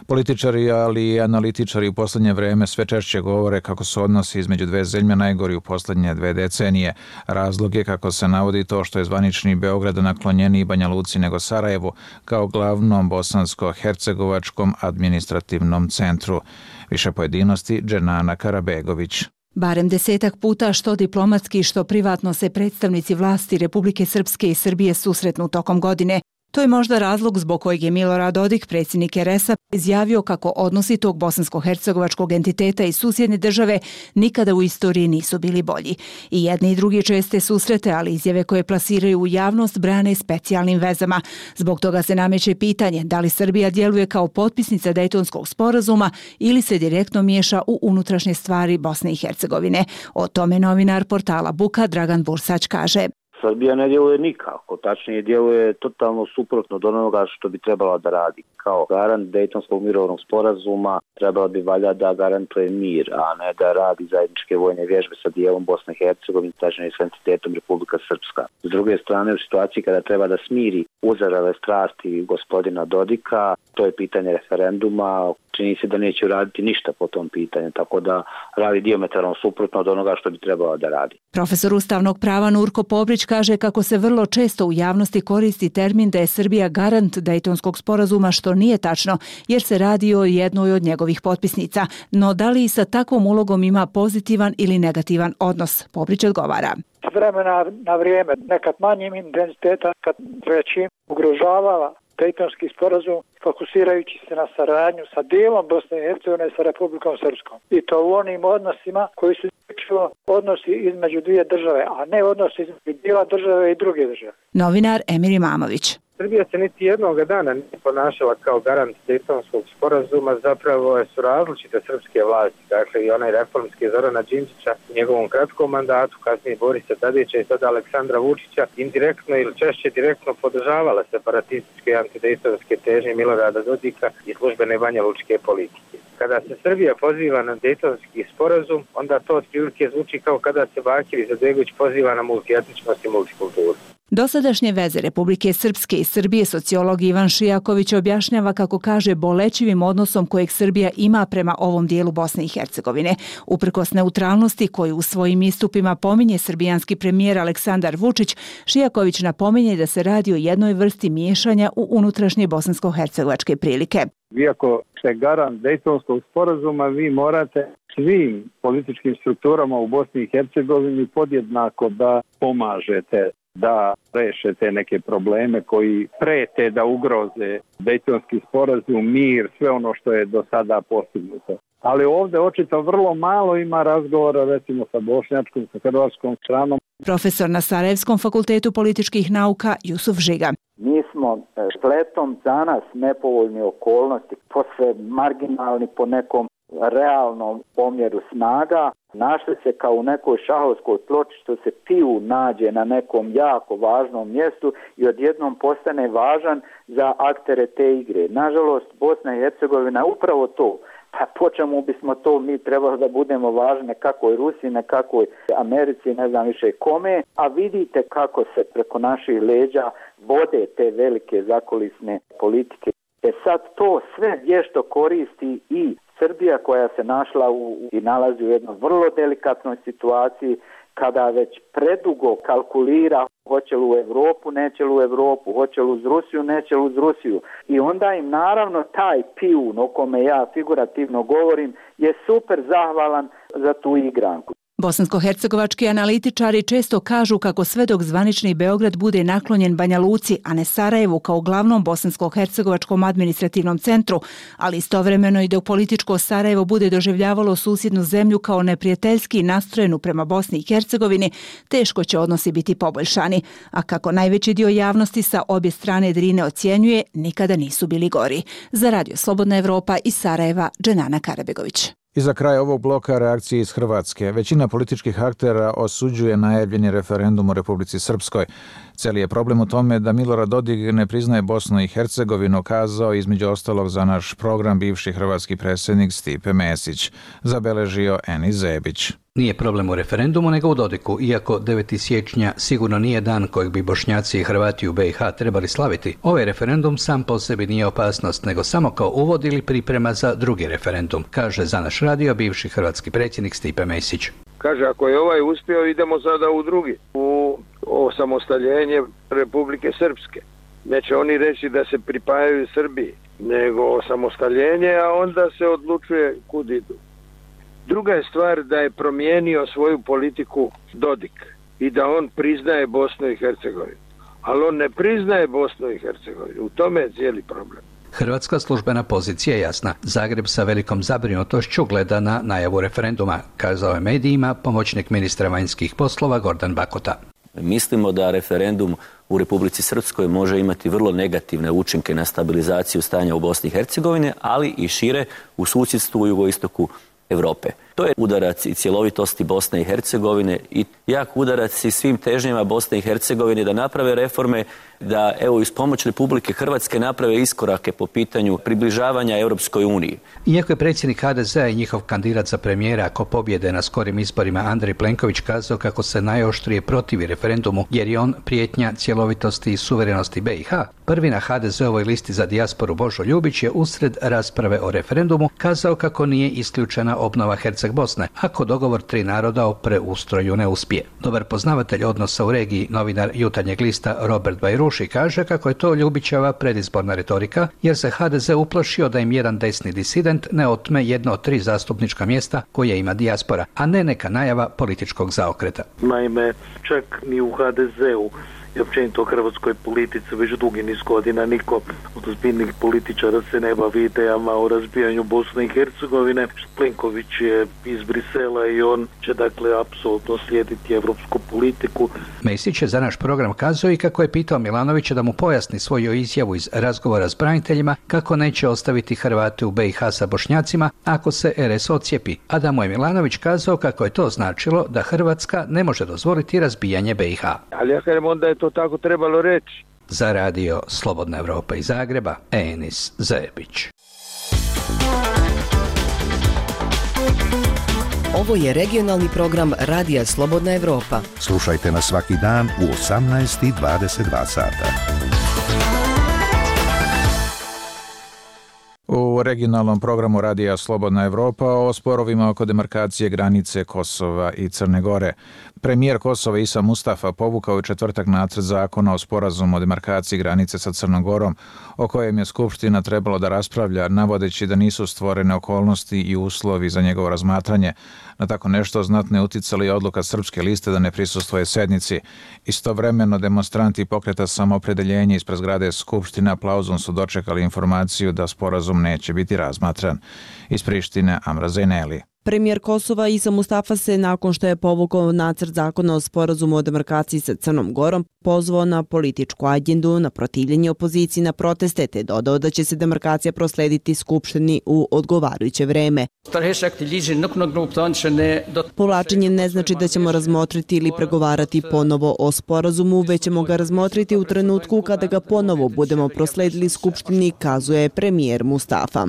Političari, ali i analitičari u posljednje vreme sve češće govore kako su odnosi između dve zemlje najgori u posljednje 2 decenije. Razlog je, kako se navodi, to što je zvanični Beograd naklonjeniji Banja Luci nego Sarajevu kao glavnom bosansko-hercegovačkom administrativnom centru. Više pojedinosti Dženana Karabegović. Barem 10 puta što diplomatski što privatno se predstavnici vlasti Republike Srpske i Srbije susretnu tokom godine. To je možda razlog zbog kojeg je Milorad Dodik, predsjednik RS-a, izjavio kako odnosi tog bosansko-hercegovačkog entiteta i susjedne države nikada u istoriji nisu bili bolji. I jedni i drugi česte susrete, ali izjave koje plasiraju u javnost brane specijalnim vezama. Zbog toga se nameće pitanje da li Srbija djeluje kao potpisnica Dejtonskog sporazuma ili se direktno miješa u unutrašnje stvari Bosne i Hercegovine. O tome novinar portala Buka Dragan Bursać kaže: Srbija ne djeluje nikako, tačnije djeluje totalno suprotno od onoga što bi trebala da radi. Kao garant Dejtonskog mirovnog sporazuma trebala bi valjda da garantuje mir, a ne da radi zajedničke vojne vježbe sa dijelom Bosne i Hercegovine, tačnije s entitetom Republika Srpska. S druge strane, u situaciji kada treba da smiri uzarale strasti gospodina Dodika, to je pitanje referenduma, čini se da neće raditi ništa po tom pitanju, tako da radi dijametralno suprotno od onoga što bi trebala da radi. Profesor ustavnog prava Nurko Pobrić kaže kako se vrlo često u javnosti koristi termin da je Srbija garant Dejtonskog sporazuma, što nije tačno, jer se radi o jednoj od njegovih potpisnica. No da li i sa takvom ulogom ima pozitivan ili negativan odnos? Pobrić odgovara: S vremena na vrijeme, nekad manjim intenziteta, kad većim ugrožavala Dejtonski sporazum, fokusirajući se na saradnju sa dijelom Bosne i Hercegovine sa Republikom Srpskom. I to u onim odnosima koji su odnosi između dvije države, a ne odnosi između dijela države i druge države. Novinar Emir Imamović. Srbija se niti jednog dana nije ponašala kao garant Dejtonskog sporazuma, zapravo su različite srpske vlasti, dakle i onaj reformski Zorana Đinđića u njegovom kratkom mandatu, kasnije Borisa Tadića i sada Aleksandra Vučića, indirektno ili češće direktno podržavala separatističke i antidejtonske težnje Milorada Dodika i službene banjalučke politike. Kada se Srbija poziva na Dejtonski sporazum, onda to otprilike zvuči kao kada se Bakir Izetbegović poziva na multietničnost i multikulturu. Dosadašnje veze Republike Srpske i Srbije sociolog Ivan Šijaković objašnjava, kako kaže, bolećivim odnosom kojeg Srbija ima prema ovom dijelu Bosne i Hercegovine. Uprkos neutralnosti koju u svojim istupima pominje srbijanski premijer Aleksandar Vučić, Šijaković napominje da se radi o jednoj vrsti miješanja u unutrašnje bosansko-hercegovačke prilike. Vi ako ste garant Dejtonskog sporazuma, vi morate svim političkim strukturama u Bosni i Hercegovini podjednako da pomažete da rešete neke probleme koji prete da ugroze Dejtonski sporazum, mir, sve ono što je do sada postignuto. Ali ovdje očito vrlo malo ima razgovora, recimo sa bošnjačkom, sa hrvatskom stranom. Profesor na Sarajevskom fakultetu političkih nauka Jusuf Žiga. Mi smo spletom za nas nepovoljne okolnosti, posve marginalni po nekom realnom omjeru snaga, našli se kao u nekoj šahovskoj ploči što se piju nađe na nekom jako važnom mjestu i odjednom postane važan za aktere te igre. Nažalost, Bosna i Hercegovina upravo to. Pa po čemu bismo to mi trebali da budemo važni nekakvoj Rusiji, nekakvoj Americi, ne znam više kome, a vidite kako se preko naših leđa vode te velike zakulisne politike. Sad to sve vješto koristi i Srbija koja se našla i nalazi u jednoj vrlo delikatnoj situaciji kada već predugo kalkulira hoće li u Europu, neće li u Europu, hoće li uz Rusiju, neće li uz Rusiju. I onda im naravno taj pijun o kome ja figurativno govorim je super zahvalan za tu igranku. Bosansko-hercegovački analitičari često kažu kako sve dok zvanični Beograd bude naklonjen Banja Luci, a ne Sarajevu kao glavnom bosansko-hercegovačkom administrativnom centru, ali istovremeno i dok političko Sarajevo bude doživljavalo susjednu zemlju kao neprijateljski nastrojenu prema Bosni i Hercegovini, teško će odnosi biti poboljšani, a kako najveći dio javnosti sa obje strane Drine ocjenjuje, nikada nisu bili gori. Za Radio Slobodna Evropa iz Sarajeva, Dženana Karabegović. I za kraj ovog bloka reakcije iz Hrvatske. Većina političkih aktera osuđuje najavljeni referendum u Republici Srpskoj. Cijeli je problem u tome da Milorad Dodik ne priznaje Bosnu i Hercegovinu, kazao između ostalog za naš program bivši hrvatski predsjednik Stipe Mesić, zabeležio Enis Zebić. Nije problem u referendumu nego u Dodiku, iako 9. siječnja sigurno nije dan kojeg bi Bošnjaci i Hrvati u BiH trebali slaviti. Ovaj referendum sam po sebi nije opasnost, nego samo kao uvod ili priprema za drugi referendum, kaže za naš radio bivši hrvatski predsjednik Stipe Mesić. Kaže, ako je ovaj uspio, idemo sada u drugi, u osamostaljenje Republike Srpske. Neće oni reći da se pripajaju Srbiji, nego osamostaljenje, a onda se odlučuje kud idu. Druga je stvar da je promijenio svoju politiku Dodik i da on priznaje Bosnu i Hercegovinu. Ali on ne priznaje Bosnu i Hercegovinu. U tome je cijeli problem. Hrvatska službena pozicija je jasna. Zagreb sa velikom zabrinutošću gleda na najavu referenduma, kazao je medijima pomoćnik ministra vanjskih poslova Gordan Bakota. Mislimo da referendum u Republici Srpskoj može imati vrlo negativne učinke na stabilizaciju stanja u Bosni i Hercegovini, ali i šire u susjedstvu u jugoistoku Europe. To je udarac i cjelovitosti Bosne i Hercegovine i jak udarac i svim težnjama Bosne i Hercegovine da naprave reforme, da evo iz pomoć Republike Hrvatske naprave iskorake po pitanju približavanja Europskoj uniji. Iako je predsjednik HDZ-a i njihov kandidat za premijera ako pobjede na skorim izborima Andrej Plenković kazao kako se najoštrije protivi referendumu jer je on prijetnja cjelovitosti i suverenosti BiH, prvi na HDZ-ovoj listi za dijasporu Božo Ljubić je usred rasprave o referendumu kazao kako nije isključena obnova Herceg-Bosne, ako dogovor tri naroda o preustroju ne uspije. Dobar poznavatelj odnosa u regiji, novinar Jutarnjeg lista Robert Bajruši kaže kako je to Ljubićeva predizborna retorika, jer se HDZ uplašio da im jedan desni disident ne otme jedno od 3 zastupnička mjesta koje ima dijaspora, a ne neka najava političkog zaokreta. Naime, čak ni u HDZ-u i općenito u hrvatskoj politici već dugi niz godina niko od ozbiljnih političara se ne bavi idejama o razbijanju Bosne i Hercegovine. Plenković je iz Brisela i on će dakle apsolutno slijediti evropsku politiku. Mesić je za naš program kazao i kako je pitao Milanovića da mu pojasni svoju izjavu iz razgovora s braniteljima kako neće ostaviti Hrvate u BiH sa Bošnjacima ako se RS ocijepi, a da mu je Milanović kazao kako je to značilo da Hrvatska ne može dozvoliti razbijanje BiH. Ali ja kažem onda je to tako trebalo reći. Za radio Slobodna Evropa iz Zagreba, Enis Zebić. Ovo je regionalni program Radija Slobodna Evropa. Slušajte nas svaki dan u 18:22 sata. U regionalnom programu Radija Slobodna Evropa o sporovima oko demarkacije granice Kosova i Crne Gore. Premijer Kosova Isa Mustafa povukao je četvrtak nacrt zakona o sporazumu o demarkaciji granice sa Crnom Gorom, o kojem je Skupština trebalo da raspravlja, navodeći da nisu stvorene okolnosti i uslovi za njegovo razmatranje. Na tako nešto znatno je uticala i odluka Srpske liste da ne prisustvuje sednici. Istovremeno demonstranti pokreta Samoopredeljenje ispred zgrade Skupštine aplauzom su dočekali informaciju da sporazum neće biti razmatran. Iz Prištine Amra Zejneli. Premijer Kosova Isa Mustafa se, nakon što je povukao nacrt zakona o sporazumu o demarkaciji sa Crnom Gorom, pozvao na političku agendu, na protivljenje opoziciji, na proteste, te dodao da će se demarkacija proslediti Skupštini u odgovarajuće vreme. Povlačenje ne znači da ćemo razmotriti ili pregovarati ponovo o sporazumu, već ćemo ga razmotriti u trenutku kada ga ponovo budemo prosledili Skupštini, kazuje premijer Mustafa.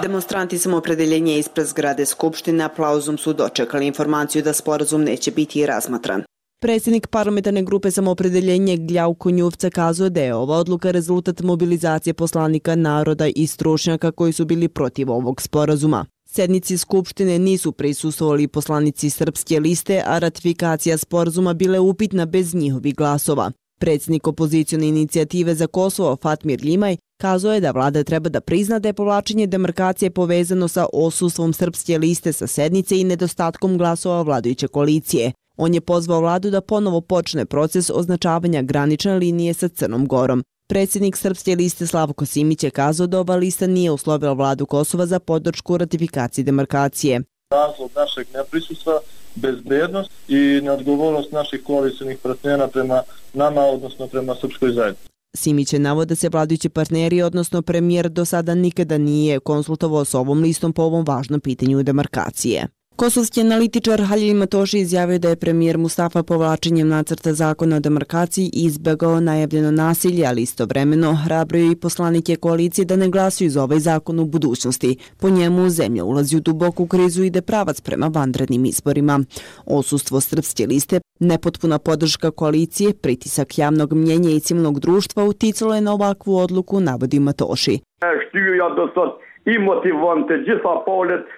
Demonstranti Samoopredeljenja ispred zgrade Skupštine aplauzom su dočekali informaciju da sporazum neće biti razmatran. Predsjednik parlamentarne grupe Samoopredeljenje Gljauko Njuvca kazuje da je ova odluka rezultat mobilizacije poslanika naroda i stručnjaka koji su bili protiv ovog sporazuma. Sednici Skupštine nisu prisustvovali poslanici Srpske liste, a ratifikacija sporazuma bila je upitna bez njihovih glasova. Predsjednik opozicione inicijative za Kosovo Fatmir Ljimaj kazao je da vlada treba da prizna da je povlačenje demarkacije povezano sa odsustvom Srpske liste sa sednice i nedostatkom glasova vladajuće koalicije. On je pozvao vladu da ponovo počne proces označavanja granične linije sa Crnom Gorom. Predsjednik Srpske liste Slavko Simić je kazao da ova lista nije uslovila vladu Kosova za podršku ratifikaciji demarkacije. Razlog našeg neprisustva, bezbednost i neodgovornost naših koalicijnih partnera prema nama, odnosno prema srpskoj zajednici. Simić je navod da se vladajući partneri, odnosno premijer, do sada nikada nije konsultovao s ovom listom po ovom važnom pitanju demarkacije. Kosovski analitičar Halil Matoši izjavio da je premijer Mustafa povlačenjem nacrta zakona o demarkaciji izbjegao najavljeno nasilje, ali istovremeno hrabrio i poslanike koalicije da ne glasuju za ovaj zakon u budućnosti. Po njemu zemlja ulazi u duboku krizu i ide pravac prema vanrednim izborima. Odsustvo Srpske liste, nepotpuna podrška koalicije, pritisak javnog mnjenja i civilnog društva uticalo je na ovakvu odluku, navodi Matoši.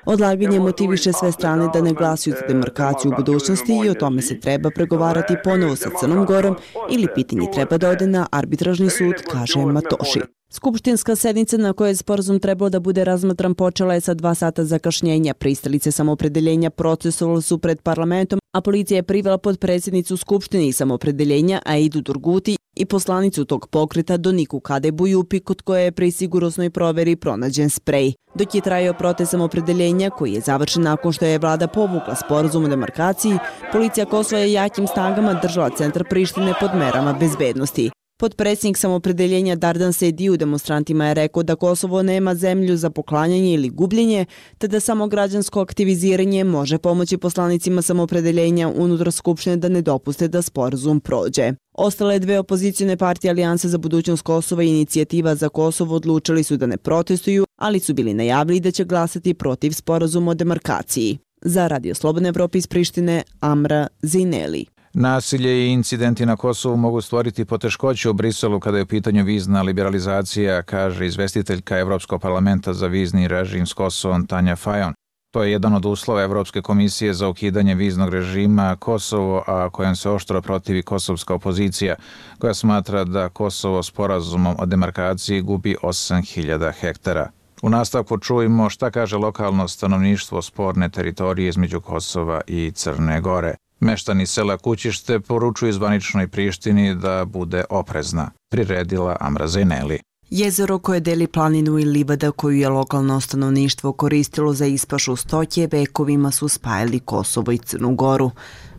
Odlaganje motiviše sve strane da ne glasuju za demarkaciju u budućnosti i o tome se treba pregovarati ponovo sa Crnom Gorom ili pitanje treba da ode na arbitražni sud, kaže Matoši. Skupštinska sednica na kojoj je sporazum trebao da bude razmatran počela je sa 2 sata zakašnjenja. Pristalice Samoopredeljenja procesovali su pred parlamentom, a policija je privela podpredsjednicu Skupštine i Samoopredeljenja Aidu Durguti i poslanicu tog pokreta Doniku Kadebu Jupi, kod koje je pri sigurnosnoj proveri pronađen sprej. Dok je trajao protest Samoopredeljenja, koji je završen nakon što je vlada povukla sporazum o demarkaciji, policija Kosova je jakim snagama držala centar Prištine pod merama bezbednosti. Podpredsjednik Samoopredeljenja Dardan Sejdiu demonstrantima je rekao da Kosovo nema zemlju za poklanjanje ili gubljenje, te da samo građansko aktiviziranje može pomoći poslanicima Samoopredeljenja unutar Skupštine da ne dopuste da sporazum prođe. Ostale 2 opozicijne partije Alijanse za budućnost Kosova i Inicijativa za Kosovo odlučili su da ne protestuju, ali su bili najavili da će glasati protiv sporazuma o demarkaciji. Za Radio Slobodne Evrope iz Prištine, Amra Zineli. Nasilje i incidenti na Kosovu mogu stvoriti poteškoće u Briselu kada je u pitanju vizna liberalizacija, kaže izvestiteljka Evropskog parlamenta za vizni režim s Kosovom Tanja Fajon. To je jedan od uslova Evropske komisije za ukidanje viznog režima Kosovo, a kojem se oštro protivi kosovska opozicija, koja smatra da Kosovo sporazumom o demarkaciji gubi 8.000 hektara. U nastavku čujemo šta kaže lokalno stanovništvo sporne teritorije između Kosova i Crne Gore. Meštani sela Kućište poručuju zvaničnoj Prištini da bude oprezna, priredila Amra Zineli. Jezero koje deli planinu i livada koju je lokalno stanovništvo koristilo za ispašu stoke vekovima su spajali Kosovo i Crnu Goru.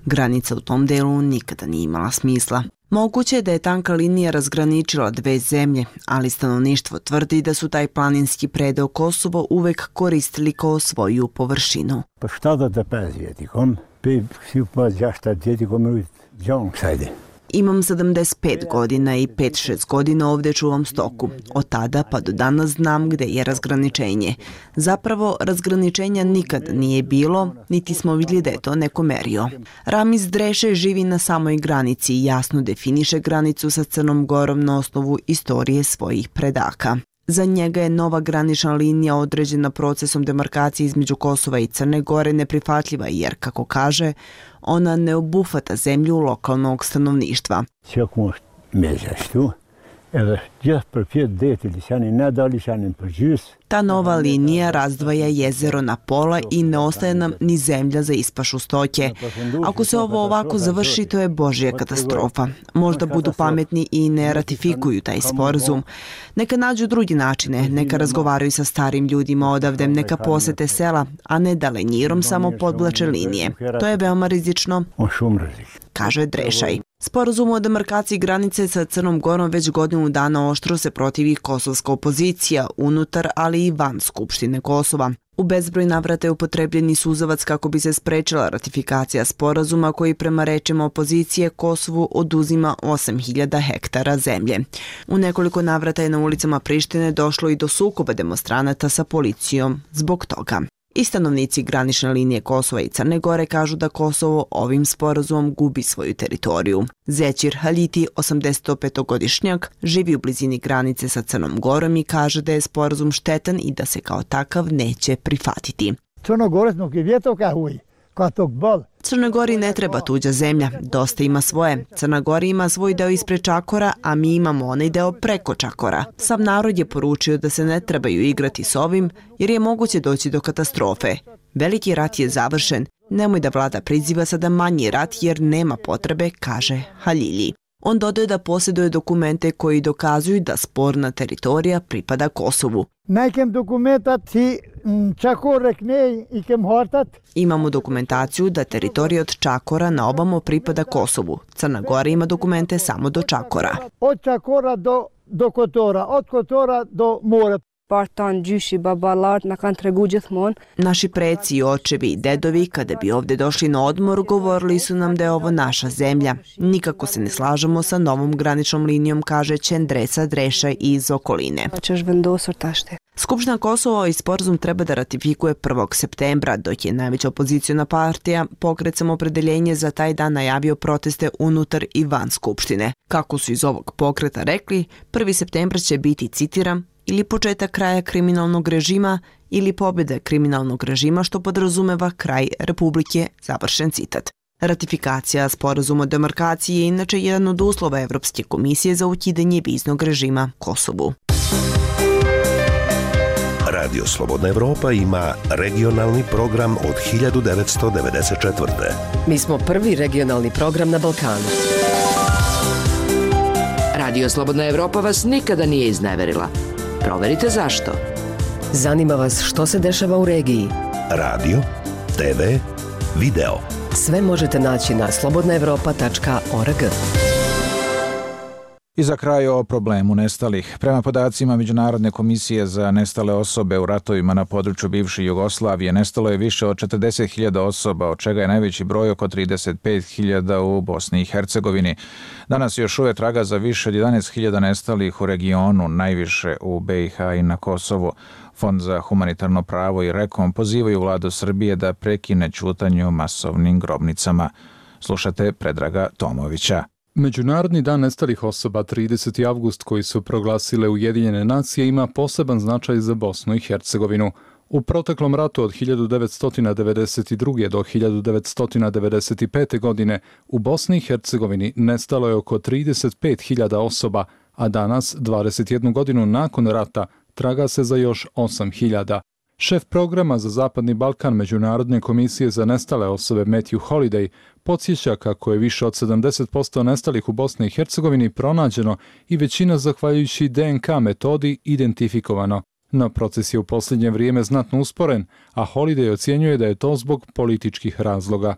Granica u tom delu nikada nije imala smisla. Moguće je da je tanka linija razgraničila 2 zemlje, ali stanovništvo tvrdi da su taj planinski predeo Kosovo uvek koristili kao svoju površinu. Pa šta da te pezvjetikom? Imam 75 godina i 5-6 godina ovdje čuvam stoku. Od tada pa do danas znam gde je razgraničenje. Zapravo, razgraničenja nikad nije bilo, niti smo vidjeli da je to neko merio. Ramiz Dreše živi na samoj granici i jasno definiše granicu sa Crnom Gorom na osnovu istorije svojih predaka. Za njega je nova granična linija određena procesom demarkacije između Kosova i Crne Gore neprihvatljiva jer, kako kaže, ona ne obuhvata zemlju lokalnog stanovništva. Ta nova linija razdvaja jezero na pola i ne ostaje nam ni zemlja za ispašu stoke. Ako se ovo ovako završi, to je božja katastrofa. Možda budu pametni i ne ratifikuju taj sporazum. Neka nađu drugi načine, neka razgovaraju sa starim ljudima odavde, neka posete sela, a ne da lenjirom samo podvlače linije. To je veoma rizično, kaže Drešaj. Sporazum o demarkaciji granice sa Crnom Gorom već godinu dana oštro se protivi kosovska opozicija, unutar, ali i van Skupštine Kosova. U bezbroj navrata je upotrebljeni suzavac kako bi se sprečila ratifikacija sporazuma koji prema rečima opozicije Kosovu oduzima 8.000 hektara zemlje. U nekoliko navrata je na ulicama Prištine došlo i do sukoba demonstranata sa policijom zbog toga. I stanovnici granične linije Kosova i Crne Gore kažu da Kosovo ovim sporazumom gubi svoju teritoriju. Zećir Haljiti, 85-godišnjak, živi u blizini granice sa Crnom Gorom i kaže da je sporazum štetan i da se kao takav neće prihvatiti. Crnoj Gori ne treba tuđa zemlja, dosta ima svoje. Crna Gora ima svoj deo ispred Čakora, a mi imamo onaj deo preko Čakora. Sav narod je poručio da se ne trebaju igrati s ovim, jer je moguće doći do katastrofe. Veliki rat je završen, nemoj da vlada priziva sada manji rat jer nema potrebe, kaže Haljilji. On dodaje da posjeduje dokumente koji dokazuju da sporna teritorija pripada Kosovu. Imamo dokumentaciju da teritorija od Čakora na obamo pripada Kosovu. Crna Gora ima dokumente samo do Čakora. Od Čakora do Kotora, od Kotora do mora. Naši preci, očevi i dedovi, kada bi ovdje došli na odmor, govorili su nam da je ovo naša zemlja. Nikako se ne slažemo sa novom graničnom linijom, kaže Čendresa Drešaj iz okoline. Skupština Kosova i sporazum treba da ratifikuje 1. septembra, dok je najveća opoziciona partija Pokret Samoopredeljenje za taj dan najavio proteste unutar i van Skupštine. Kako su iz ovog pokreta rekli, 1. septembra će biti, citiram, ili početak kraja kriminalnog režima ili pobjeda kriminalnog režima, što podrazumeva kraj Republike, završen citat. Ratifikacija sporazuma o demarkaciji je inače jedan od uslova Evropske komisije za ukidanje viznog režima Kosovu. Radio Slobodna Evropa ima regionalni program od 1994. Mi smo prvi regionalni program na Balkanu. Radio Slobodna Evropa vas nikada nije izneverila. Proverite zašto. Zanima vas što se dešava u regiji. Radio, TV, video. Sve možete naći na slobodnaevropa.org. I za kraj o problemu nestalih. Prema podacima Međunarodne komisije za nestale osobe u ratovima na području bivše Jugoslavije nestalo je više od 40.000 osoba, od čega je najveći broj oko 35.000 u Bosni i Hercegovini. Danas još uvijek traga za više od 11.000 nestalih u regionu, najviše u BiH i na Kosovu. Fond za humanitarno pravo i Rekom pozivaju vladu Srbije da prekine ćutanje o masovnim grobnicama. Slušate Predraga Tomovića. Međunarodni dan nestalih osoba 30. avgust koji su proglasile Ujedinjene nacije ima poseban značaj za Bosnu i Hercegovinu. U proteklom ratu od 1992. do 1995. godine u Bosni i Hercegovini nestalo je oko 35.000 osoba, a danas, 21 godinu nakon rata, traga se za još 8.000. Šef programa za Zapadni Balkan Međunarodne komisije za nestale osobe Matthew Holiday podsjeća kako je više od 70% nestalih u Bosni i Hercegovini pronađeno i većina zahvaljujući DNK metodi identifikovano. No proces je u posljednje vrijeme znatno usporen, a Holiday ocjenjuje da je to zbog političkih razloga.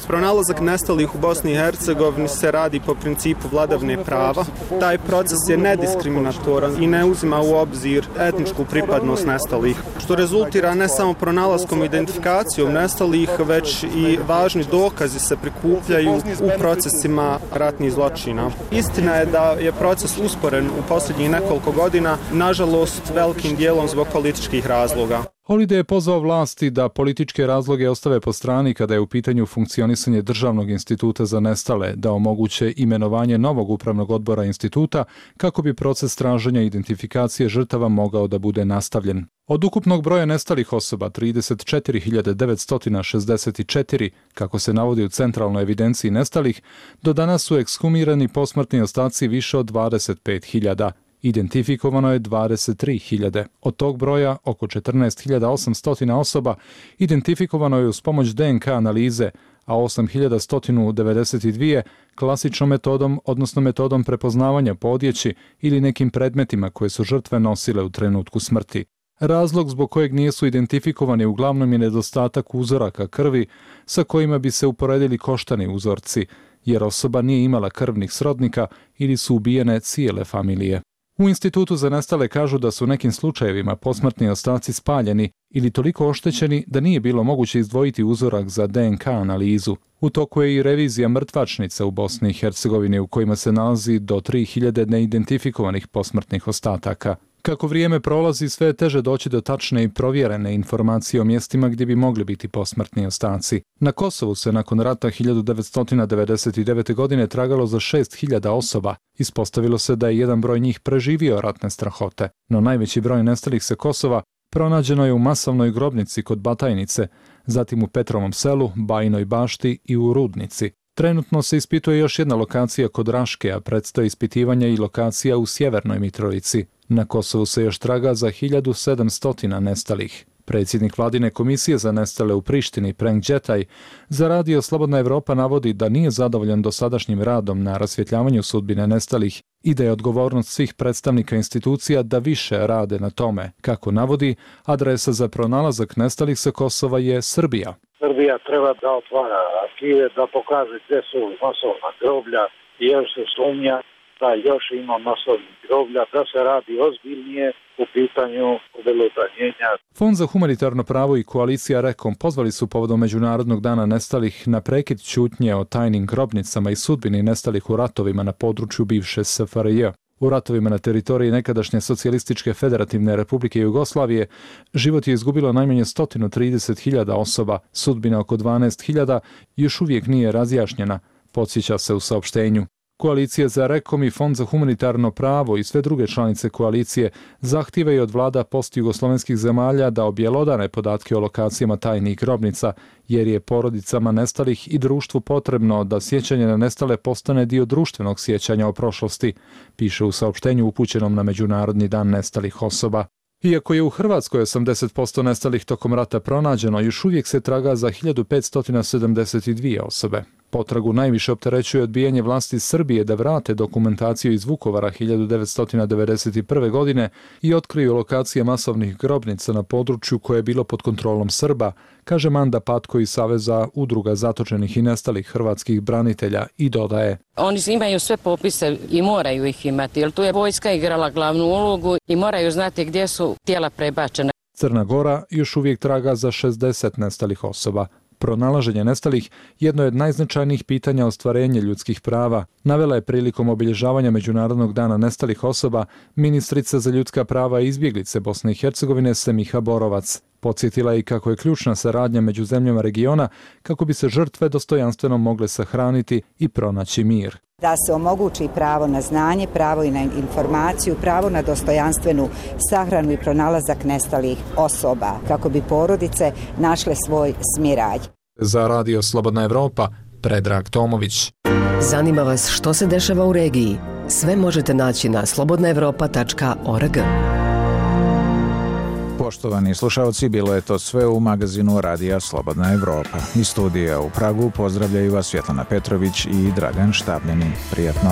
Pronalazak nestalih u Bosni i Hercegovini se radi po principu vladavine prava. Taj proces je nediskriminatoran i ne uzima u obzir etničku pripadnost nestalih, što rezultira ne samo pronalaskom i identifikacijom nestalih, već i važni dokazi se prikupljaju u procesima ratnih zločina. Istina je da je proces usporen u posljednjih nekoliko godina, nažalost velikim dijelom zbog političkih razloga. Holiday je pozvao vlasti da političke razloge ostave po strani kada je u pitanju funkcionisanje Državnog instituta za nestale, da omoguće imenovanje novog upravnog odbora instituta kako bi proces traženja identifikacije žrtava mogao da bude nastavljen. Od ukupnog broja nestalih osoba 34.964, kako se navodi u centralnoj evidenciji nestalih, do danas su ekshumirani posmrtni ostaci više od 25.000. Identifikovano je 23.000. Od tog broja oko 14.800 osoba identifikovano je uz pomoć DNK analize, a 8.192 klasičnom metodom, odnosno metodom prepoznavanja po odjeći ili nekim predmetima koje su žrtve nosile u trenutku smrti. Razlog zbog kojeg nisu identifikovani uglavnom je nedostatak uzoraka krvi sa kojima bi se uporedili koštani uzorci, jer osoba nije imala krvnih srodnika ili su ubijene cijele familije. U Institutu za nestale kažu da su u nekim slučajevima posmrtni ostaci spaljeni ili toliko oštećeni da nije bilo moguće izdvojiti uzorak za DNK analizu. U toku je i revizija mrtvačnica u Bosni i Hercegovini u kojima se nalazi do 3.000 neidentifikovanih posmrtnih ostataka. Kako vrijeme prolazi, sve je teže doći do tačne i provjerene informacije o mjestima gdje bi mogli biti posmrtni ostaci. Na Kosovu se nakon rata 1999. godine tragalo za 6.000 osoba. Ispostavilo se da je jedan broj njih preživio ratne strahote, no najveći broj nestalih sa Kosova pronađeno je u masovnoj grobnici kod Batajnice, zatim u Petrovom selu, Bajinoj Bašti i u Rudnici. Trenutno se ispituje još jedna lokacija kod Raške, a predstoji ispitivanja i lokacija u Sjevernoj Mitrovici. Na Kosovu se još traga za 1700 nestalih. Predsjednik vladine komisije za nestale u Prištini, Prenk Đetaj, za radio Slobodna Evropa navodi da nije zadovoljan dosadašnjim radom na rasvjetljavanju sudbine nestalih i da je odgovornost svih predstavnika institucija da više rade na tome. Kako navodi, adresa za pronalazak nestalih sa Kosova je Srbija. Srbija treba da otvara arhive, da pokaže gdje su masovna groblja i još se sumnja da još ima masovnih groblja, da se radi ozbiljnije u pitanju obelodanjenja. Fond za humanitarno pravo i koalicija Rekom pozvali su povodom Međunarodnog dana nestalih na prekid ćutnje o tajnim grobnicama i sudbini nestalih u ratovima na području bivše SFRJ. U ratovima na teritoriji nekadašnje Socijalističke federativne republike Jugoslavije život je izgubilo najmanje 130.000 osoba, sudbina oko 12.000 još uvijek nije razjašnjena, podsjeća se u saopštenju. Koalicija za Rekom i Fond za humanitarno pravo i sve druge članice koalicije zahtijevaju od vlada postjugoslovenskih zemalja da objelodane podatke o lokacijama tajnih grobnica, jer je porodicama nestalih i društvu potrebno da sjećanje na nestale postane dio društvenog sjećanja o prošlosti, piše u saopštenju upućenom na Međunarodni dan nestalih osoba. Iako je u Hrvatskoj 80% nestalih tokom rata pronađeno, još uvijek se traga za 1572 osobe. Potragu najviše opterećuje odbijanje vlasti Srbije da vrate dokumentaciju iz Vukovara 1991. godine i otkriju lokacije masovnih grobnica na području koje je bilo pod kontrolom Srba, kaže Manda Patko iz Saveza udruga zatočenih i nestalih hrvatskih branitelja i dodaje. Oni imaju sve popise i moraju ih imati, jer tu je vojska igrala glavnu ulogu i moraju znati gdje su tijela prebačena. Crna Gora još uvijek traga za 60 nestalih osoba. Pronalaženje nestalih jedno je od najznačajnijih pitanja ostvarenja ljudskih prava, navela je prilikom obilježavanja Međunarodnog dana nestalih osoba ministrica za ljudska prava i izbjeglice Bosne i Hercegovine Semiha Borovac. Podsjetila je i kako je ključna saradnja među zemljama regiona kako bi se žrtve dostojanstveno mogle sahraniti i pronaći mir. Da se omogući pravo na znanje, pravo i na informaciju, pravo na dostojanstvenu sahranu i pronalazak nestalih osoba, kako bi porodice našle svoj smiraj. Za radio Slobodna Evropa, Predrag Tomović. Zanima vas što se dešava u regiji? Sve možete naći na slobodnaevropa.org. Poštovani slušalci, bilo je to sve u magazinu Radija Slobodna Evropa. Iz studija u Pragu pozdravljaju vas Svjetlana Petrović i Dragan Štabljanin. Prijatno.